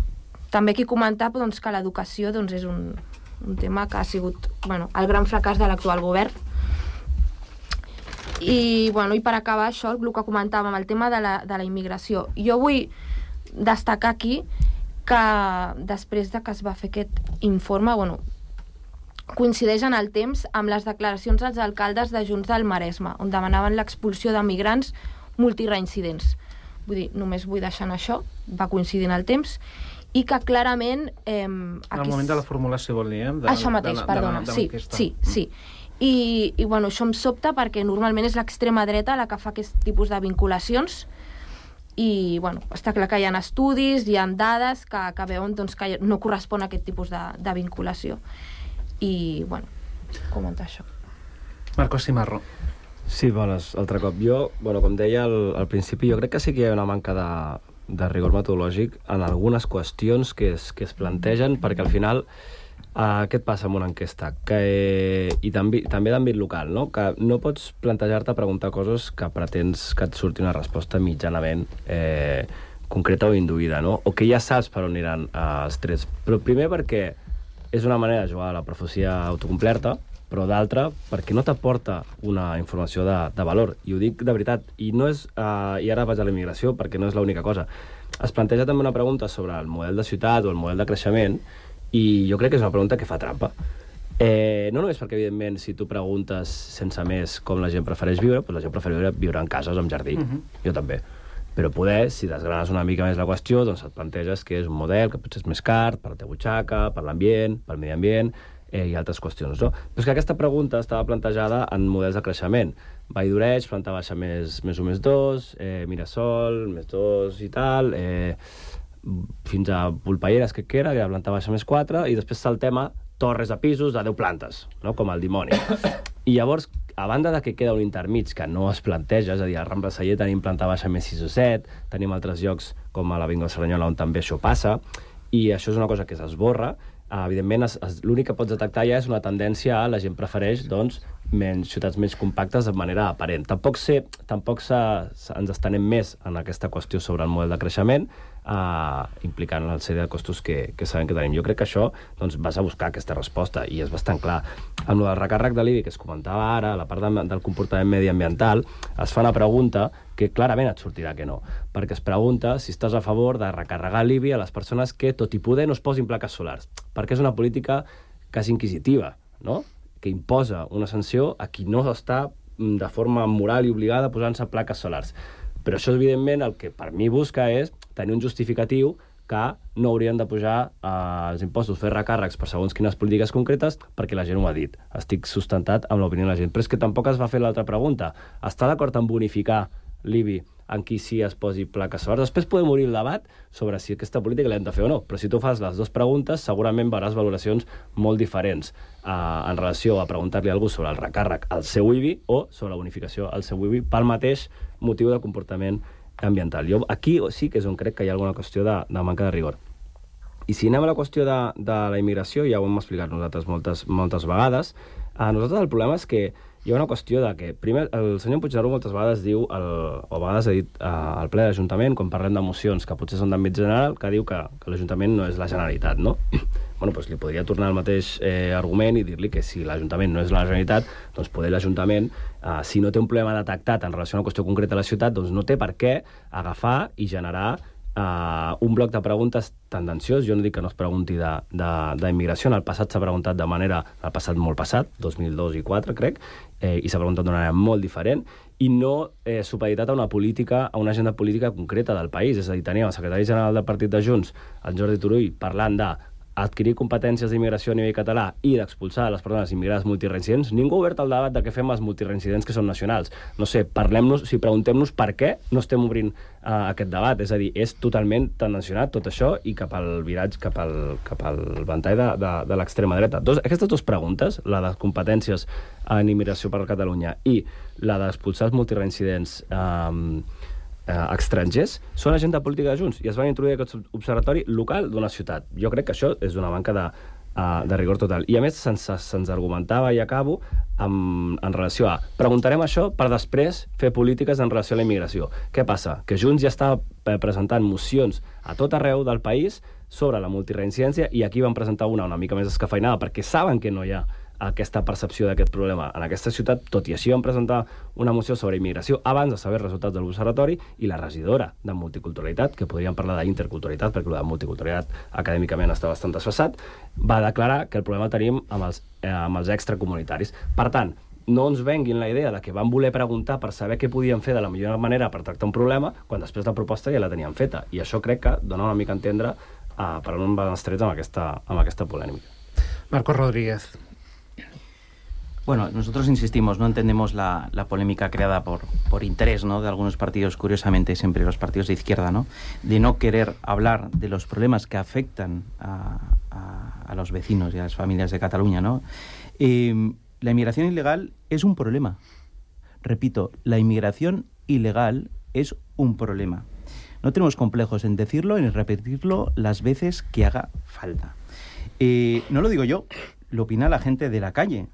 S15: també aquí comentar doncs, que l'educació doncs, és un, un tema que ha sigut bueno, el gran fracàs de l'actual govern. I, bueno, i per acabar això, el que comentàvem, el tema de la, de la immigració. Jo vull destacar aquí que després de que es va fer aquest informe, bueno, coincideix en el temps amb les declaracions dels alcaldes de Junts del Maresme, on demanaven l'expulsió de migrants multireincidents. Vull dir, només vull deixar en això, va coincidir en el temps, i que clarament... Eh,
S13: en el moment de la formulació, vol dir, eh? De,
S15: això mateix,
S13: de,
S15: perdona,
S13: de, de, de
S15: sí, sí, sí. I, i bueno, això em sobta perquè normalment és l'extrema dreta la que fa aquest tipus de vinculacions i bueno, està clar que hi ha estudis, hi ha dades que, que veuen doncs, que no correspon a aquest tipus de, de vinculació. I, bueno, comentar això.
S13: Marcos Cimarro.
S16: Sí, bones, altre cop. Jo, bueno, com deia al, al principi, jo crec que sí que hi ha una manca de, de rigor metodològic en algunes qüestions que es, que es plantegen, perquè al final Uh, què et passa amb una enquesta? Que, eh, I també, també d'àmbit local, no? Que no pots plantejar-te preguntar coses que pretens que et surti una resposta mitjanament eh, concreta o induïda, no? O que ja saps per on aniran uh, els trets. Però primer perquè és una manera de jugar a la profecia autocomplerta, però d'altra perquè no t'aporta una informació de, de valor. I ho dic de veritat. I, no és, uh, i ara vaig a la immigració perquè no és l'única cosa. Es planteja també una pregunta sobre el model de ciutat o el model de creixement i jo crec que és una pregunta que fa trampa. Eh, no només perquè, evidentment, si tu preguntes sense més com la gent prefereix viure, doncs la gent prefereix viure, viure en cases o en jardí. Uh-huh. Jo també. Però poder, si desgranes una mica més la qüestió, doncs et planteges que és un model que potser és més car per la teva butxaca, per l'ambient, pel medi ambient eh, i altres qüestions, no? Però és que aquesta pregunta estava plantejada en models de creixement. Vall d'Oreig, planta baixa més, més un, més dos, eh, Mirasol, més dos i tal... Eh, fins a Volpelleres, que era, que era planta baixa més quatre, i després saltem a torres de pisos de deu plantes, no? Com el dimoni. I llavors, a banda de que queda un intermig que no es planteja, és a dir, a Rambla Celler tenim planta baixa més sis o set, tenim altres llocs com a l'Avinguda Cerdanyola on també això passa, i això és una cosa que s'esborra. Evidentment, es, es, l'únic que pots detectar ja és una tendència a la gent prefereix, doncs, menys, ciutats més compactes de manera aparent. Tampoc, sé, tampoc se, se, ens estenem més en aquesta qüestió sobre el model de creixement, eh, implicant una sèrie de costos que, que sabem que tenim. Jo crec que això, doncs, vas a buscar aquesta resposta i és bastant clar. Amb el recàrrec de l'I B I que es comentava ara, la part de, del comportament mediambiental, es fa una pregunta que clarament et sortirà que no, perquè es pregunta si estàs a favor de recarregar l'I B I a les persones que, tot i poder, no es posin plaques solars, perquè és una política quasi inquisitiva, no?, que imposa una sanció a qui no està de forma moral i obligada posant-se plaques solars. Però això, evidentment, el que per mi busca és tenir un justificatiu que no haurien de pujar eh, els impostos, fer recàrrecs per segons quines polítiques concretes, perquè la gent ho ha dit. Estic sustentat amb l'opinió de la gent. Però és que tampoc es va fer l'altra pregunta. Està d'acord en bonificar l'I B I en qui sí es posi plaques solars? Després podem obrir el debat sobre si aquesta política l'hem de fer o no, però si tu fas les dues preguntes segurament veuràs valoracions molt diferents eh, en relació a preguntar-li a algú sobre el recàrrec al seu I B I o sobre la bonificació al seu I B I pel mateix motiu de comportament ambiental. Jo aquí sí que és on crec que hi ha alguna qüestió de, de manca de rigor. I si anem a la qüestió de, de la immigració, ja ho hem explicat nosaltres moltes, moltes vegades, a nosaltres el problema és que hi ha una qüestió de que, primer, el senyor Puigneró moltes vegades diu, el, o a vegades ha dit eh, al ple de l'Ajuntament, quan parlem de mocions que potser són d'àmbit general, que diu que, que l'Ajuntament no és la Generalitat, no? Bueno, doncs li podria tornar el mateix eh, argument i dir-li que si l'Ajuntament no és la Generalitat, doncs poder l'Ajuntament, eh, si no té un problema detectat en relació a una qüestió concreta a la ciutat, doncs no té per què agafar i generar Uh, un bloc de preguntes tendenciós. Jo no dic que no es pregunti d'immigració. En el passat s'ha preguntat de manera... El passat molt passat, dos mil dos i quatre, crec, eh, i s'ha preguntat d'una manera molt diferent, i no eh, supeditat a una política, a una agenda política concreta del país. És a dir, teníem el secretari general del Partit de Junts, el Jordi Turull, parlant de adquirir competències d'immigració a nivell català i d'expulsar les persones immigrades multireincidents. Ningú ha obert el debat de què fem els multireincidents que són nacionals. No sé, parlem-nos, si preguntem-nos per què no estem obrint uh, aquest debat. És a dir, és totalment tendencionat tot això i cap al viratge, cap al, cap al ventall de, de, de l'extrema dreta. Dos, aquestes dues preguntes, la de competències en immigració per a Catalunya i la d'expulsar els multireincidents eh, Eh, estrangers, són agenda política de Junts i es van introduir aquest observatori local d'una ciutat. Jo crec que això és una manca de, uh, de rigor total. I a més se'ns se argumentava, i acabo, amb, en relació a preguntarem això per després fer polítiques en relació a la immigració. Què passa? Que Junts ja està presentant mocions a tot arreu del país sobre la multireincidència i aquí van presentar una una mica més escafeinada perquè saben que no hi ha aquesta percepció d'aquest problema en aquesta ciutat. Tot i així vam presentar una moció sobre immigració abans de saber els resultats de l'observatori i la regidora de multiculturalitat, que podríem parlar d'interculturalitat perquè la multiculturalitat acadèmicament està bastant desfasat, va declarar que el problema el tenim amb els, eh, amb els extracomunitaris. Per tant, no ens venguin la idea de que van voler preguntar per saber què podien fer de la millor manera per tractar un problema, quan després la proposta ja la tenien feta. I això crec que dona una mica a entendre uh, per on van els trets amb aquesta, amb aquesta polèmica.
S13: Marcos Rodríguez.
S17: Bueno, nosotros insistimos, no entendemos la, la polémica creada por, por interés, ¿no?, de algunos partidos, curiosamente siempre los partidos de izquierda, ¿no?, de no querer hablar de los problemas que afectan a, a, a los vecinos y a las familias de Cataluña, ¿no? Eh, la inmigración ilegal es un problema. Repito, la inmigración ilegal es un problema. No tenemos complejos en decirlo y en repetirlo las veces que haga falta. Eh, no lo digo yo, lo opina la gente de la calle.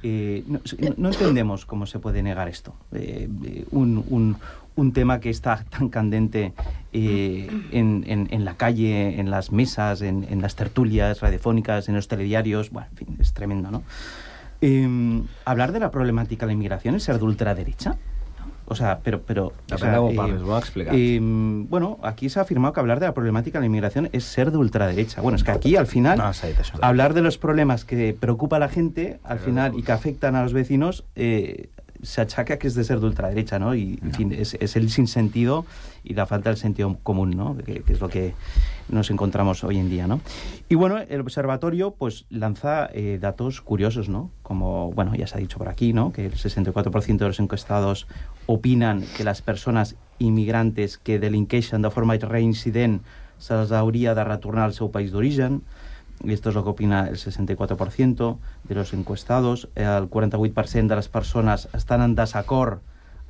S17: Eh, no, no entendemos cómo se puede negar esto. Eh, un, un, un tema que está tan candente eh, en, en, en la calle, en las mesas, en, en las tertulias radiofónicas, en los telediarios. Bueno, en fin, es tremendo, ¿no? Eh, hablar de la problemática de la inmigración es ser de ultraderecha. O sea, pero... pero o sea,
S16: eh, parles, voy a explicar.
S17: Eh, bueno, aquí se ha afirmado que hablar de la problemática de la inmigración es ser de ultraderecha. Bueno, es que aquí, al final, no, sí, hablar de los problemas que preocupa a la gente, al pero final, y que afectan a los vecinos, eh, se achaca que es de ser de ultraderecha, ¿no? Y, en no. fin, es, es el sinsentido y la falta del sentido común, ¿no?, que, que es lo que nos encontramos hoy en día, ¿no? Y bueno, el observatorio pues lanza eh, datos curiosos, ¿no? Como, bueno, ya se ha dicho por aquí, ¿no?, que el sesenta y cuatro por ciento de los encuestados opinan que las personas inmigrantes que delinqueixen de forma reincident se'ls hauria de retornar al seu país d'origen. Y esto es lo que opina el sesenta y cuatro por ciento de los encuestados. El quaranta-vuit per cent de les persones estan en desacord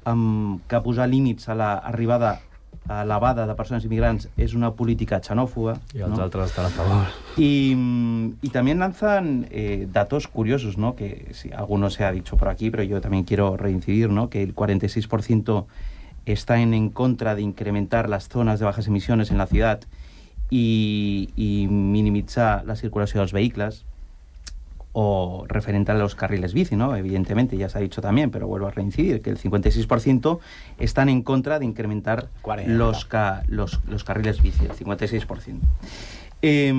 S17: amb que posar límits a l'arribada elevada de persones inmigrants es una política xenófoba.
S16: Y los
S17: ¿no?
S16: otros están a favor.
S17: Y, y también lanzan eh, datos curiosos, ¿no?, que sí, algunos se ha dicho por aquí, pero yo también quiero reincidir, ¿no?, que el cuarenta y seis por ciento está en, en contra de incrementar las zonas de bajas emisiones en la ciudad y, y minimitzar la circulació dels vehicles, o referente a los carriles bici, ¿no? Evidentemente, ya se ha dicho también, pero vuelvo a reincidir, que el cincuenta y seis por ciento están en contra de incrementar los, ca los, los carriles bici, el cincuenta y seis por ciento. Eh,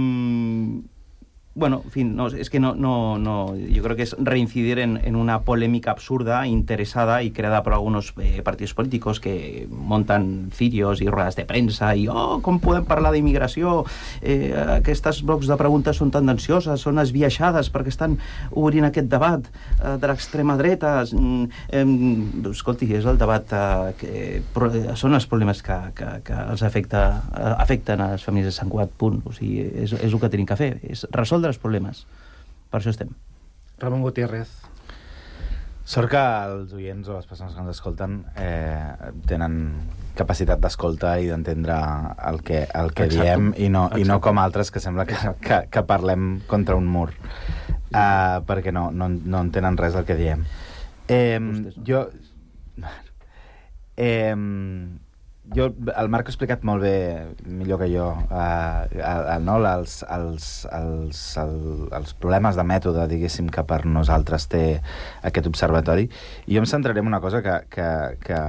S17: bueno, en fin, no, es que no, no, no, yo creo que es reincidir en, en una polémica absurda, interesada y creada por algunos eh, partidos políticos que montan cirios i rodes de premsa i, oh, com podem parlar d'immigració? Eh, aquestes blocs de preguntes són tendencioses, són esbiaixades perquè estan obrint aquest debat eh, de l'extrema dreta. Eh, escolti, és el debat eh, que pro, són els problemes que, que, que els afecta, eh, afecten a les famílies de Sant Cugat, punt. O sigui, és, és el que tenim que fer, és resoldre els problemes. Per això estem.
S13: Ramon Gutiérrez.
S19: Sort que els oients o les persones que ens escolten eh, tenen capacitat d'escolta i d'entendre el que, el que
S14: Exacte.
S19: diem i no, i no
S14: Exacte.
S19: com altres que sembla que, que, que parlem contra un mur, uh, perquè no, no, no entenen res del que diem. Eh, jo... Eh, jo, el Marc ha explicat molt bé, millor que jo, eh, el, no, els, els, els, el, els problemes de mètode, diguéssim, que per nosaltres té aquest observatori. I jo em centraré en una cosa que, que, que,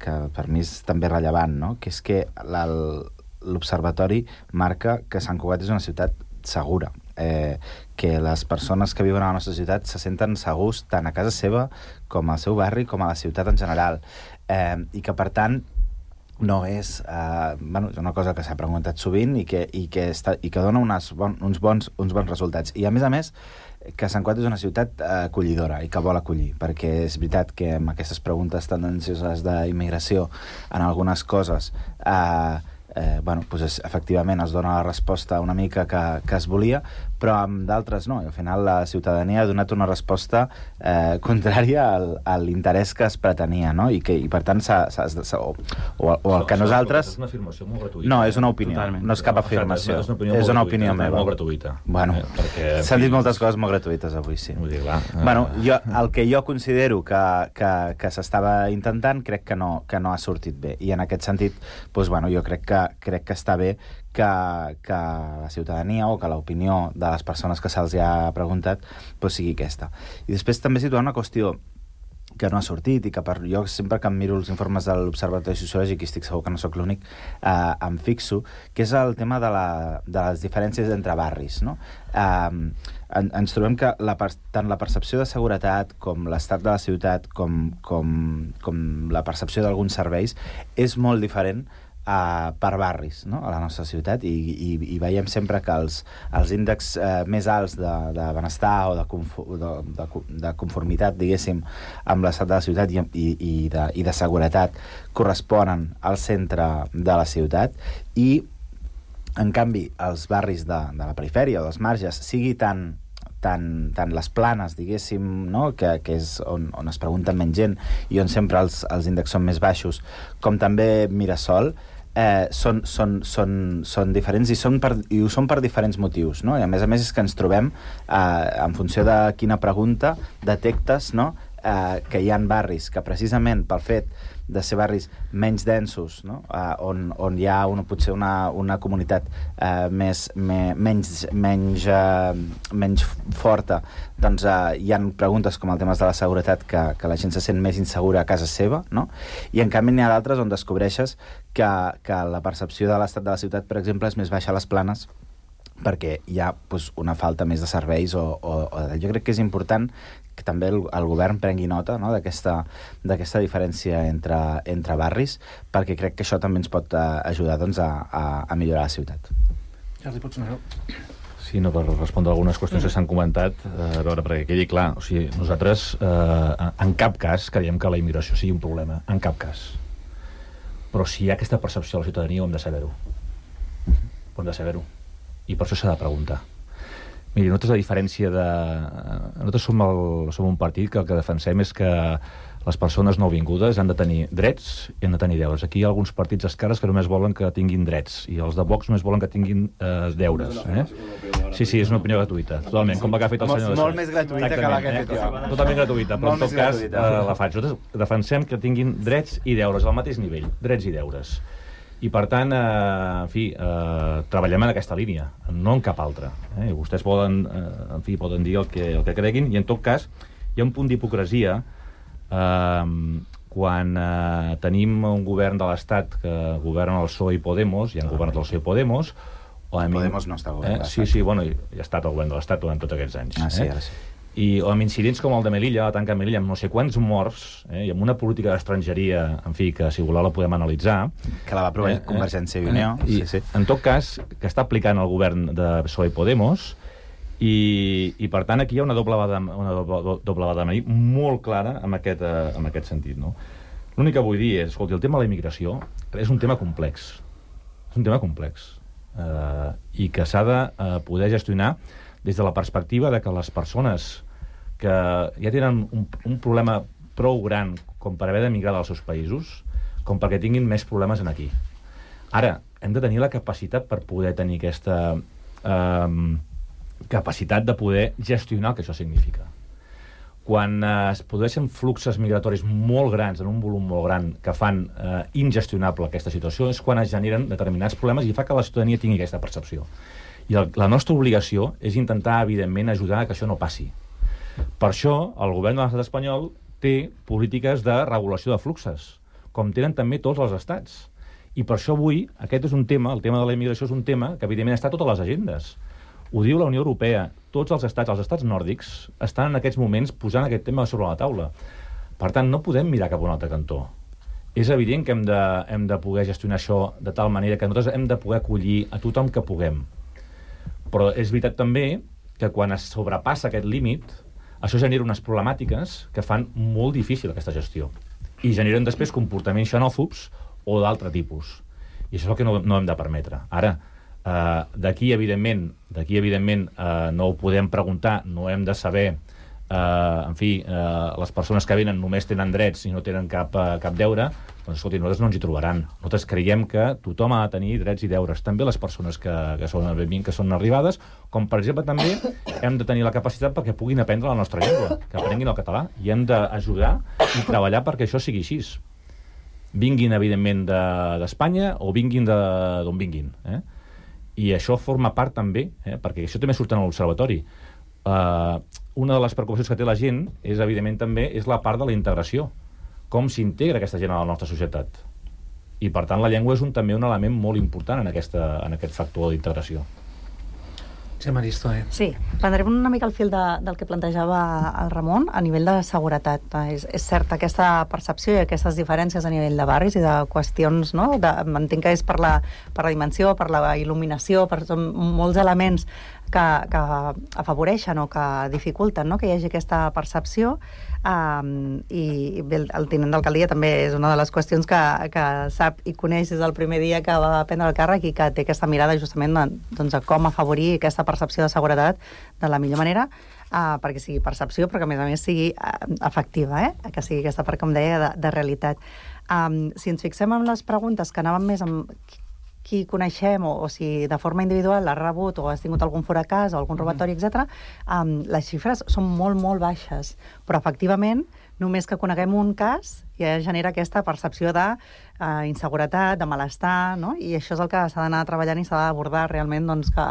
S19: que per mi és també rellevant, no? Que és que l'observatori marca que Sant Cugat és una ciutat segura, eh, que les persones que viuen a la nostra ciutat se senten segurs tant a casa seva com al seu barri com a la ciutat en general, eh, i que per tant no és, eh, bueno, és una cosa que s'ha preguntat sovint i que, i que, està, i que dona unes bon, uns, bons, uns bons resultats. I a més a més que Sant Cugat és una ciutat eh, acollidora i que vol acollir, perquè és veritat que amb aquestes preguntes tendencioses d'immigració en algunes coses eh, eh, bueno, doncs efectivament es dona la resposta una mica que, que es volia, però amb d'altres no, i al final la ciutadania ha donat una resposta eh, contrària al, a l'interès que es pretenia, no? I, que, i per tant s'ha, s'ha, s'ha, o, o, o el que nosaltres...
S14: És una afirmació molt gratuïta.
S19: No, és una opinió,
S14: Totalment.
S19: no és cap afirmació.
S14: És una opinió,
S19: és una opinió
S14: gratuïta,
S19: meva.
S14: Molt gratuïta.
S19: Bueno,
S14: eh, perquè,
S19: s'han dit moltes coses molt gratuïtes avui, sí.
S14: Vull dir, clar.
S19: Bueno, jo, el que jo considero que, que, que s'estava intentant, crec que no, que no ha sortit bé. I en aquest sentit, doncs, bueno, jo crec que, crec que està bé que, que la ciutadania o que l'opinió de les persones que se'ls ha preguntat doncs sigui aquesta. I després també situar una qüestió que no ha sortit i que per, jo sempre que em miro els informes de l'Observatori Sociològic, i estic segur que no sóc l'únic, eh, em fixo, que és el tema de, la, de les diferències entre barris, no? Eh, en, ens trobem que la, tant la percepció de seguretat com l'estat de la ciutat com, com, com la percepció d'alguns serveis és molt diferent Uh, per barris, no? A la nostra ciutat, i, i, i veiem sempre que els, els índexs uh, més alts de, de benestar o de, de, de, de conformitat, diguéssim, amb l'estat de la ciutat i, i, i, de, i de seguretat corresponen al centre de la ciutat, i en canvi els barris de, de la perifèria o dels marges, sigui tant tant, tant les planes, diguéssim, no? que, que és on, on es pregunten menys gent i on sempre els, els índexs són més baixos, com també Mirasol, eh, són, són, són, són diferents i, són per, i ho són per diferents motius, no? I a més a més és que ens trobem, eh, en funció de quina pregunta, detectes, no? eh, que hi ha barris que precisament pel fet de ser barris menys densos, no? uh, on, on hi ha una, potser una, una comunitat uh, més, me, menys, menys, uh, menys forta, doncs uh, hi ha preguntes com el tema de la seguretat que, que la gent se sent més insegura a casa seva, no? I en canvi n'hi ha d'altres on descobreixes que, que la percepció de l'estat de la ciutat, per exemple, és més baixa a les planes perquè hi ha pues, una falta més de serveis o, o, o jo crec que és important que també el, el govern prengui nota, no? d'aquesta diferència entre, entre barris, perquè crec que això també ens pot uh, ajudar doncs, a, a, a millorar la ciutat.
S13: Jordi, pots anar?
S14: Sí, no, per respondre algunes qüestions que s'han comentat, eh, a veure, perquè quedi clar, o sigui, nosaltres eh, en cap cas creiem que la immigració sigui un problema, en cap cas. Però si hi ha aquesta percepció de la ciutadania, ho hem de saber-ho. Ho hem de saber-ho. I per això s'ha de preguntar. Miri, nosaltres, a diferència de... Nosaltres som, el, som un partit que el que defensem és que les persones nouvingudes han de tenir drets i han de tenir deures. Aquí hi ha alguns partits d'esquerres que només volen que tinguin drets i els de Vox només volen que tinguin eh, deures. Eh? Sí, sí, és una opinió gratuïta, totalment, com la que ha fet el senyor...
S19: Molt més gratuïta que la que he fet jo.
S14: Eh? Totalment gratuïta, però en tot cas eh, la faig. Nosaltres defensem que tinguin drets i deures al mateix nivell, drets i deures. I, per tant, eh, en fi, eh, treballem en aquesta línia, no en cap altra. Eh? Vostès poden, eh, en fi, poden dir el que, el que creguin, i en tot cas hi ha un punt d'hipocresia eh, quan eh, tenim un govern de l'Estat que governa el P S O E i Podemos, hi ha un govern del P S O E i Podemos... O a mi...
S19: Podemos no està govern
S14: eh? Sí, sí, bueno, hi ha estat el govern de l'Estat durant tots aquests anys.
S19: Ah, sí,
S14: eh?
S19: ara sí.
S14: I amb incidents com el de Melilla, la tanca de Melilla, amb no sé quants morts, eh, i amb una política d'estrangeria, en fi, que si voleu la podem analitzar...
S19: Que la va aprovar eh, Convergència i Unió.
S14: Eh, I,
S19: sí, sí.
S14: En tot cas, que està aplicant el govern de P S O E i Podemos, i, i per tant aquí hi ha una doble vada, una doble, doble vada molt clara en aquest, eh, en aquest sentit. No? L'únic que vull dir és, escolti, el tema de la immigració és un tema complex. És un tema complex. Eh, I que s'ha de eh, poder gestionar des de la perspectiva de que les persones que ja tenen un, un problema prou gran com per haver d'emigrar dels seus països, com perquè tinguin més problemes en aquí. Ara, hem de tenir la capacitat per poder tenir aquesta eh, capacitat de poder gestionar el que això significa. Quan eh, es produeixen fluxos migratoris molt grans, en un volum molt gran, que fan eh, ingestionable aquesta situació, és quan es generen determinats problemes i fa que la ciutadania tingui aquesta percepció. I el, la nostra obligació és intentar, evidentment, ajudar a que això no passi. Per això, el govern de l'estat espanyol té polítiques de regulació de fluxos, com tenen també tots els estats. I per això avui, aquest és un tema, el tema de la immigració és un tema que, evidentment, està a totes les agendes. Ho diu la Unió Europea. Tots els estats, els estats nòrdics, estan en aquests moments posant aquest tema sobre la taula. Per tant, no podem mirar cap a un altre cantó. És evident que hem de, hem de poder gestionar això de tal manera que nosaltres hem de poder acollir a tothom que puguem. Però és veritat també que quan es sobrepassa aquest límit, això genera unes problemàtiques que fan molt difícil aquesta gestió. I generen després comportaments xenòfobs o d'altre tipus. I això és el que no, no hem de permetre. Ara, Uh, d'aquí, evidentment, d'aquí, evidentment uh, no ho podem preguntar, no hem de saber, uh, en fi, uh, les persones que venen només tenen drets i no tenen cap, uh, cap deure, doncs, escolti, nosaltres no ens hi trobaran. Nosaltres creiem que tothom ha de tenir drets i deures, també les persones que, que, són, que són arribades, com, per exemple, també hem de tenir la capacitat perquè puguin aprendre la nostra llengua, que aprenguin el català, i hem d'ajudar i treballar perquè això sigui així. Vinguin, evidentment, d'Espanya de, o vinguin d'on vinguin, eh? I això forma part també, eh, perquè això també surt en l'observatori. Uh, una de les preocupacions que té la gent és, evidentment, també és la part de la integració. Com s'integra aquesta gent a la nostra societat. I, per tant, la llengua és un, també un element molt important en, aquesta, en aquest factor d'integració.
S13: Sí, Maristoi.
S18: Sí, prendrem una mica el fil de, del que plantejava el Ramon a nivell de seguretat. És, és cert, aquesta percepció i aquestes diferències a nivell de barris i de qüestions, no? De, entenc que és per la, per la dimensió, per la il·luminació, per són molts elements que, que afavoreixen o que dificulten, no? Que hi hagi aquesta percepció. Um, i bé, el tinent d'alcaldia també és una de les qüestions que, que sap i coneix des del primer dia que va prendre el càrrec i que té aquesta mirada justament doncs, a com afavorir aquesta percepció de seguretat de la millor manera, uh, perquè sigui percepció però que a més a més sigui uh, efectiva, eh? Que sigui aquesta part, com deia, de, de realitat. Um, si ens fixem en les preguntes que anaven més amb qui coneixem o, o si de forma individual l'has rebut o has tingut algun fracàs o algun robatori, etcètera, um, les xifres són molt, molt baixes. Però, efectivament, només que coneguem un cas ja genera aquesta percepció de uh, inseguretat, de malestar, no? I això és el que s'ha d'anar treballant i s'ha d'abordar realment doncs, que,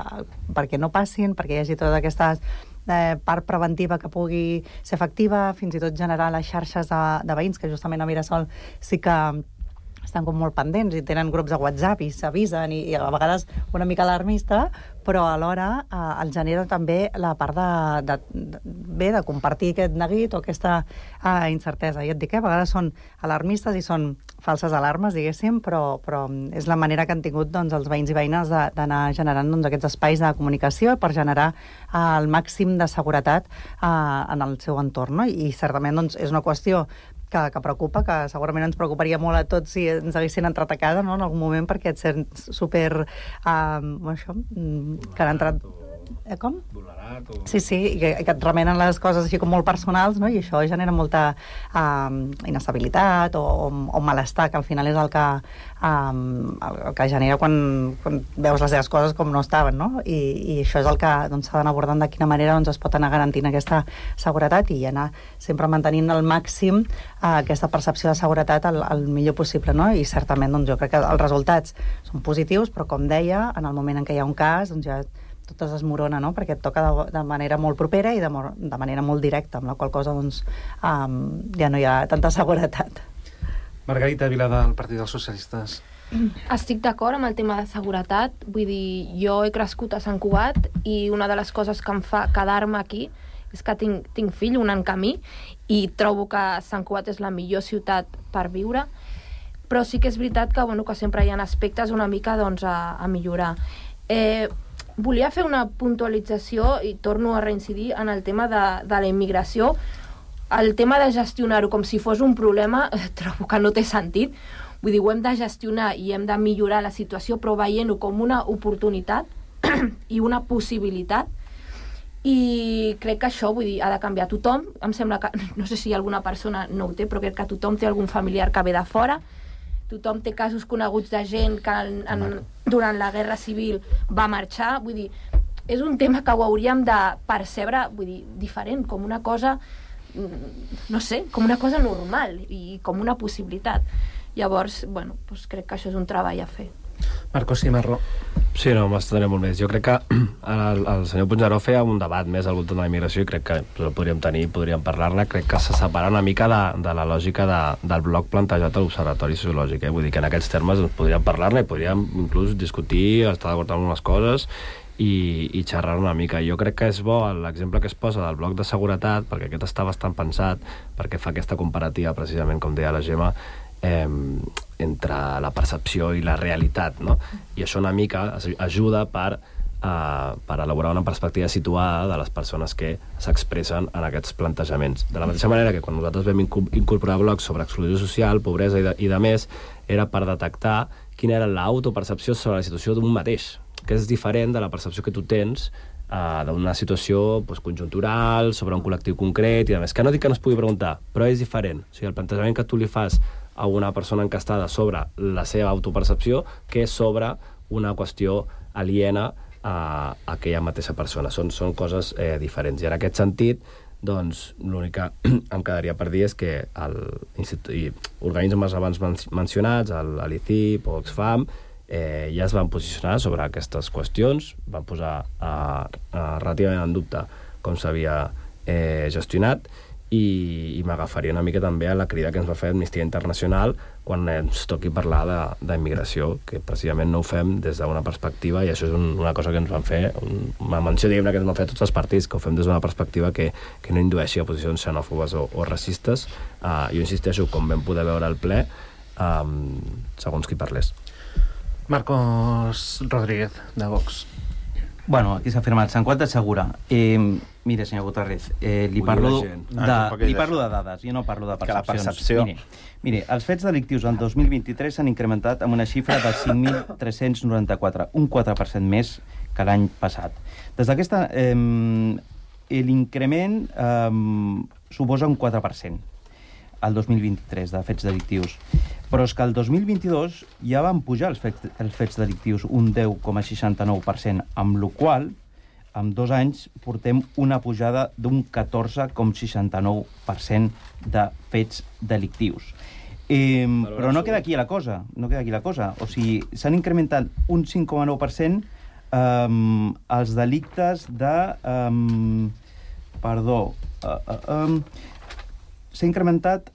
S18: perquè no passin, perquè hi hagi tota aquesta eh, part preventiva que pugui ser efectiva, fins i tot generar les xarxes de, de veïns, que justament a Mirasol sí que estan com molt pendents i tenen grups de WhatsApp i s'avisen i, i a vegades una mica alarmista, però alhora eh, el genera també la part de, de, de, bé, de compartir aquest neguit o aquesta eh, incertesa. I et dic que a vegades són alarmistes i són falses alarmes, diguéssim, però, però és la manera que han tingut doncs, els veïns i veïnes d'anar generant doncs, aquests espais de comunicació per generar eh, el màxim de seguretat eh, en el seu entorn. No? I certament doncs, és una qüestió Que, que preocupa, que segurament ens preocuparia molt a tots si ens haguessin entrat a casa, no?, en algun moment, perquè et sents super... Uh, això, que han entrat... Eh, com? Vulnerat o... Sí, sí, i que, que et remenen les coses així com molt personals, no?, i això genera molta uh, inestabilitat o, o, o malestar, que al final és el que, um, el que genera quan, quan veus les teves coses com no estaven, no? I, i això és el que doncs, s'ha d'anar abordant de quina manera doncs, es pot anar garantint aquesta seguretat i anar sempre mantenint al màxim uh, aquesta percepció de seguretat el, el millor possible, no? I certament doncs, jo crec que els resultats són positius, però com deia, en el moment en què hi ha un cas, doncs ja tot es desmorona, no? Perquè et toca de, de manera molt propera i de, de manera molt directa, amb la qual cosa doncs, um, ja no hi ha tanta seguretat.
S13: Margarita Vila, del Partit dels Socialistes.
S15: Estic d'acord amb el tema de seguretat. Vull dir, jo he crescut a Sant Cugat i una de les coses que em fa quedar-me aquí és que tinc, tinc fill, un en camí, i trobo que Sant Cugat és la millor ciutat per viure, però sí que és veritat que, bueno, que sempre hi ha aspectes una mica doncs, a, a millorar. Eh, Volia fer una puntualització i torno a reincidir en el tema de, de la immigració. El tema de gestionar-ho com si fos un problema trobo que no té sentit. Vull dir, ho hem de gestionar i hem de millorar la situació, però veient-ho com una oportunitat i una possibilitat. I crec que això, vull dir, ha de canviar tothom. Em sembla que, no sé si alguna persona no ho té, però crec que tothom té algun familiar que ve de fora, tothom té casos coneguts de gent que en, en, durant la Guerra Civil va marxar, vull dir, és un tema que ho hauríem de percebre, vull dir, diferent, com una cosa, no sé, com una cosa normal i com una possibilitat. Llavors, bueno, doncs crec que això és un treball a fer.
S13: Marcos Cimarro.
S16: Sí, no, m'estendré molt més. Jo crec que el, el senyor Puigneró feia un debat més al voltant de la immigració i crec que el podríem tenir, podríem parlar-ne. Crec que se separa una mica de, de la lògica de, del bloc plantejat a l'Observatori Sociològic. Eh? Vull dir que en aquests termes podríem parlar-ne i podríem inclús discutir, estar d'acord amb unes coses i, i xerrar una mica. Jo crec que és bo l'exemple que es posa del bloc de seguretat, perquè aquest està bastant pensat, perquè fa aquesta comparativa, precisament, com deia la Gemma, eh, entre la percepció i la realitat, no? I això una mica ajuda per, eh, per elaborar una perspectiva situada de les persones que s'expressen en aquests plantejaments. De la mateixa manera que quan nosaltres vam incorporar blocs sobre exclusió social, pobresa i de, i de més, era per detectar quina era l'autopercepció sobre la situació d'un mateix, que és diferent de la percepció que tu tens uh, d'una situació pues, conjuntural, sobre un col·lectiu concret i a més. Que no dic que no es pugui preguntar, però és diferent. O sigui, el plantejament que tu li fas a una persona encastada sobre la seva autopercepció que és sobre una qüestió aliena a, a aquella mateixa persona. Són, són coses eh, diferents. I en aquest sentit, doncs, l'únic que em quedaria per dir és que el i organismes abans mencionats, l'I C I P o Oxfam, eh, ja es van posicionar sobre aquestes qüestions, van posar eh, eh, relativament en dubte com s'havia eh, gestionat, i, i m'agafaria una mica també a la crida que ens va fer Amnistia Internacional quan ens toqui parlar d'immigració, que precisament no ho fem des d'una perspectiva, i això és un, una cosa que ens van fer, un, una menció, diguem-ne, que ens van fer tots els partits, que ho fem des d'una perspectiva que, que no indueixi a posicions xenòfobes o, o racistes. Uh, jo insisteixo, com vam poder veure al ple, um, segons qui parlés.
S13: Marcos Rodríguez, de Vox.
S17: Bueno, aquí s'ha firmat. Sant Cugat assegura. Eh, mire, senyor Guterres, eh, li, parlo de, ah, li parlo de dades, jo no parlo de percepcions.
S19: Que la percepció...
S17: Mire, mire, els fets delictius en dos mil vint-i-tres s'han incrementat amb una xifra de cinc mil tres-cents noranta-quatre, un quatre per cent més que l'any passat. Des d'aquesta... Eh, l'increment eh, suposa un quatre per cent al dos mil vint-i-tres de fets delictius. Però és que el dos mil vint-i-dos ja van pujar els fets, els fets delictius un deu coma seixanta-nou per cent, amb la qual en dos anys portem una pujada d'un catorze coma seixanta-nou per cent de fets delictius. Eh, però no queda aquí la cosa, no queda aquí la cosa. O sigui, s'han incrementat un cinc coma nou per cent eh, els delictes de... Eh, perdó... Eh, eh, eh, s'ha incrementat...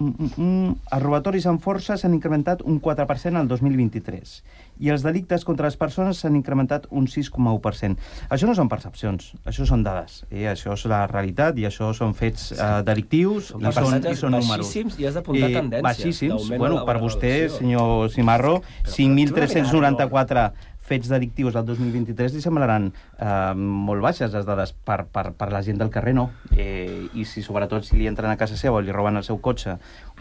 S17: Mm, mm, mm, els robatoris amb força s'han incrementat un quatre per cent al dos mil vint-i-tres i els delictes contra les persones s'han incrementat un sis coma u per cent. Això no són percepcions, això són dades. Eh? Això és la realitat i això són fets eh, delictius i són, i són números.
S20: Baixíssims i has d'apuntar eh, tendències.
S17: Baixíssims. Bueno, per vostè, senyor Cimarro, cinc mil tres-cents noranta-quatre fets delictius del dos mil vint-i-tres li semblaran eh, molt baixes les dades per, per, per la gent del carrer, no. Eh, I si sobretot si li entren a casa seva o li roben el seu cotxe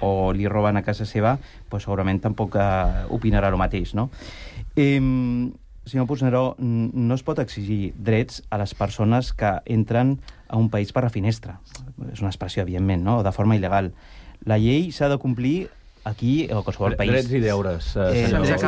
S17: o li roben a casa seva, pues, segurament tampoc eh, opinarà el mateix, no? Eh, senyor Puigneró, no es pot exigir drets a les persones que entren a un país per la finestra. És una expressió, evidentment, no? De forma il·legal. La llei s'ha de complir aquí o a qualsevol país.
S14: Drets i deures. Eh,
S17: eh,
S14: Vostès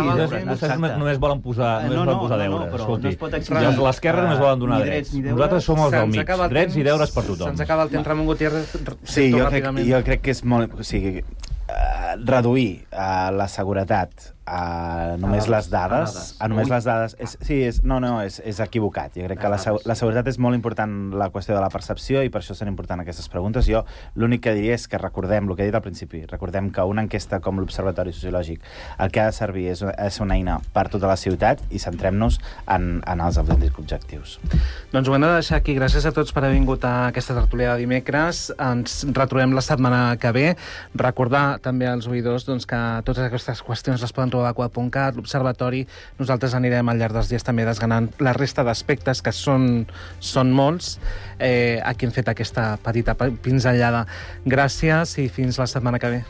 S14: només, només volen posar, només
S17: no, no,
S14: volen posar
S17: no,
S14: deures.
S17: no, però
S14: Escolti,
S17: no es pot exigir.
S14: L'esquerra només volen donar drets. drets. Nosaltres som els del mig. Drets i deures per tothom.
S13: Se'ns acaba el temps, Ramon Gutiérrez.
S19: Sí, jo crec, jo crec que és molt... O sigui, uh, reduir uh, la seguretat a només a les dades, a, a només Ui. les dades, és, sí, és, no, no, és, és equivocat. Jo crec que la, la seguretat és molt important, la qüestió de la percepció, i per això són importants aquestes preguntes. Jo l'únic que diria és que recordem, el que he dit al principi, recordem que una enquesta com l'Observatori Sociològic el que ha de servir és, és una eina per tota la ciutat i centrem-nos en, en els autèntics objectius.
S13: Doncs ho hem de deixar aquí. Gràcies a tots per haver vingut a aquesta tertúlia de dimecres. Ens retrobem la setmana que ve. Recordar també als oïdors doncs, que totes aquestes qüestions les poden trobar a quad punt cat, l'Observatori. Nosaltres anirem al llarg dels dies també desgranant la resta d'aspectes, que són, són molts. Eh, aquí hem fet aquesta petita pinzellada. Gràcies i fins la setmana que ve.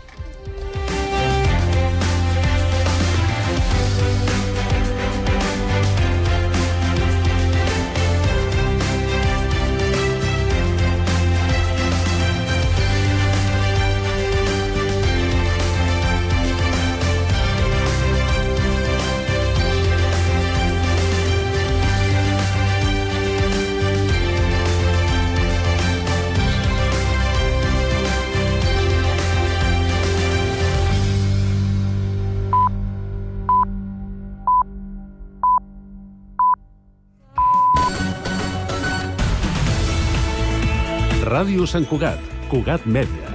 S20: Ràdio Sant Cugat, Cugat Mèdia.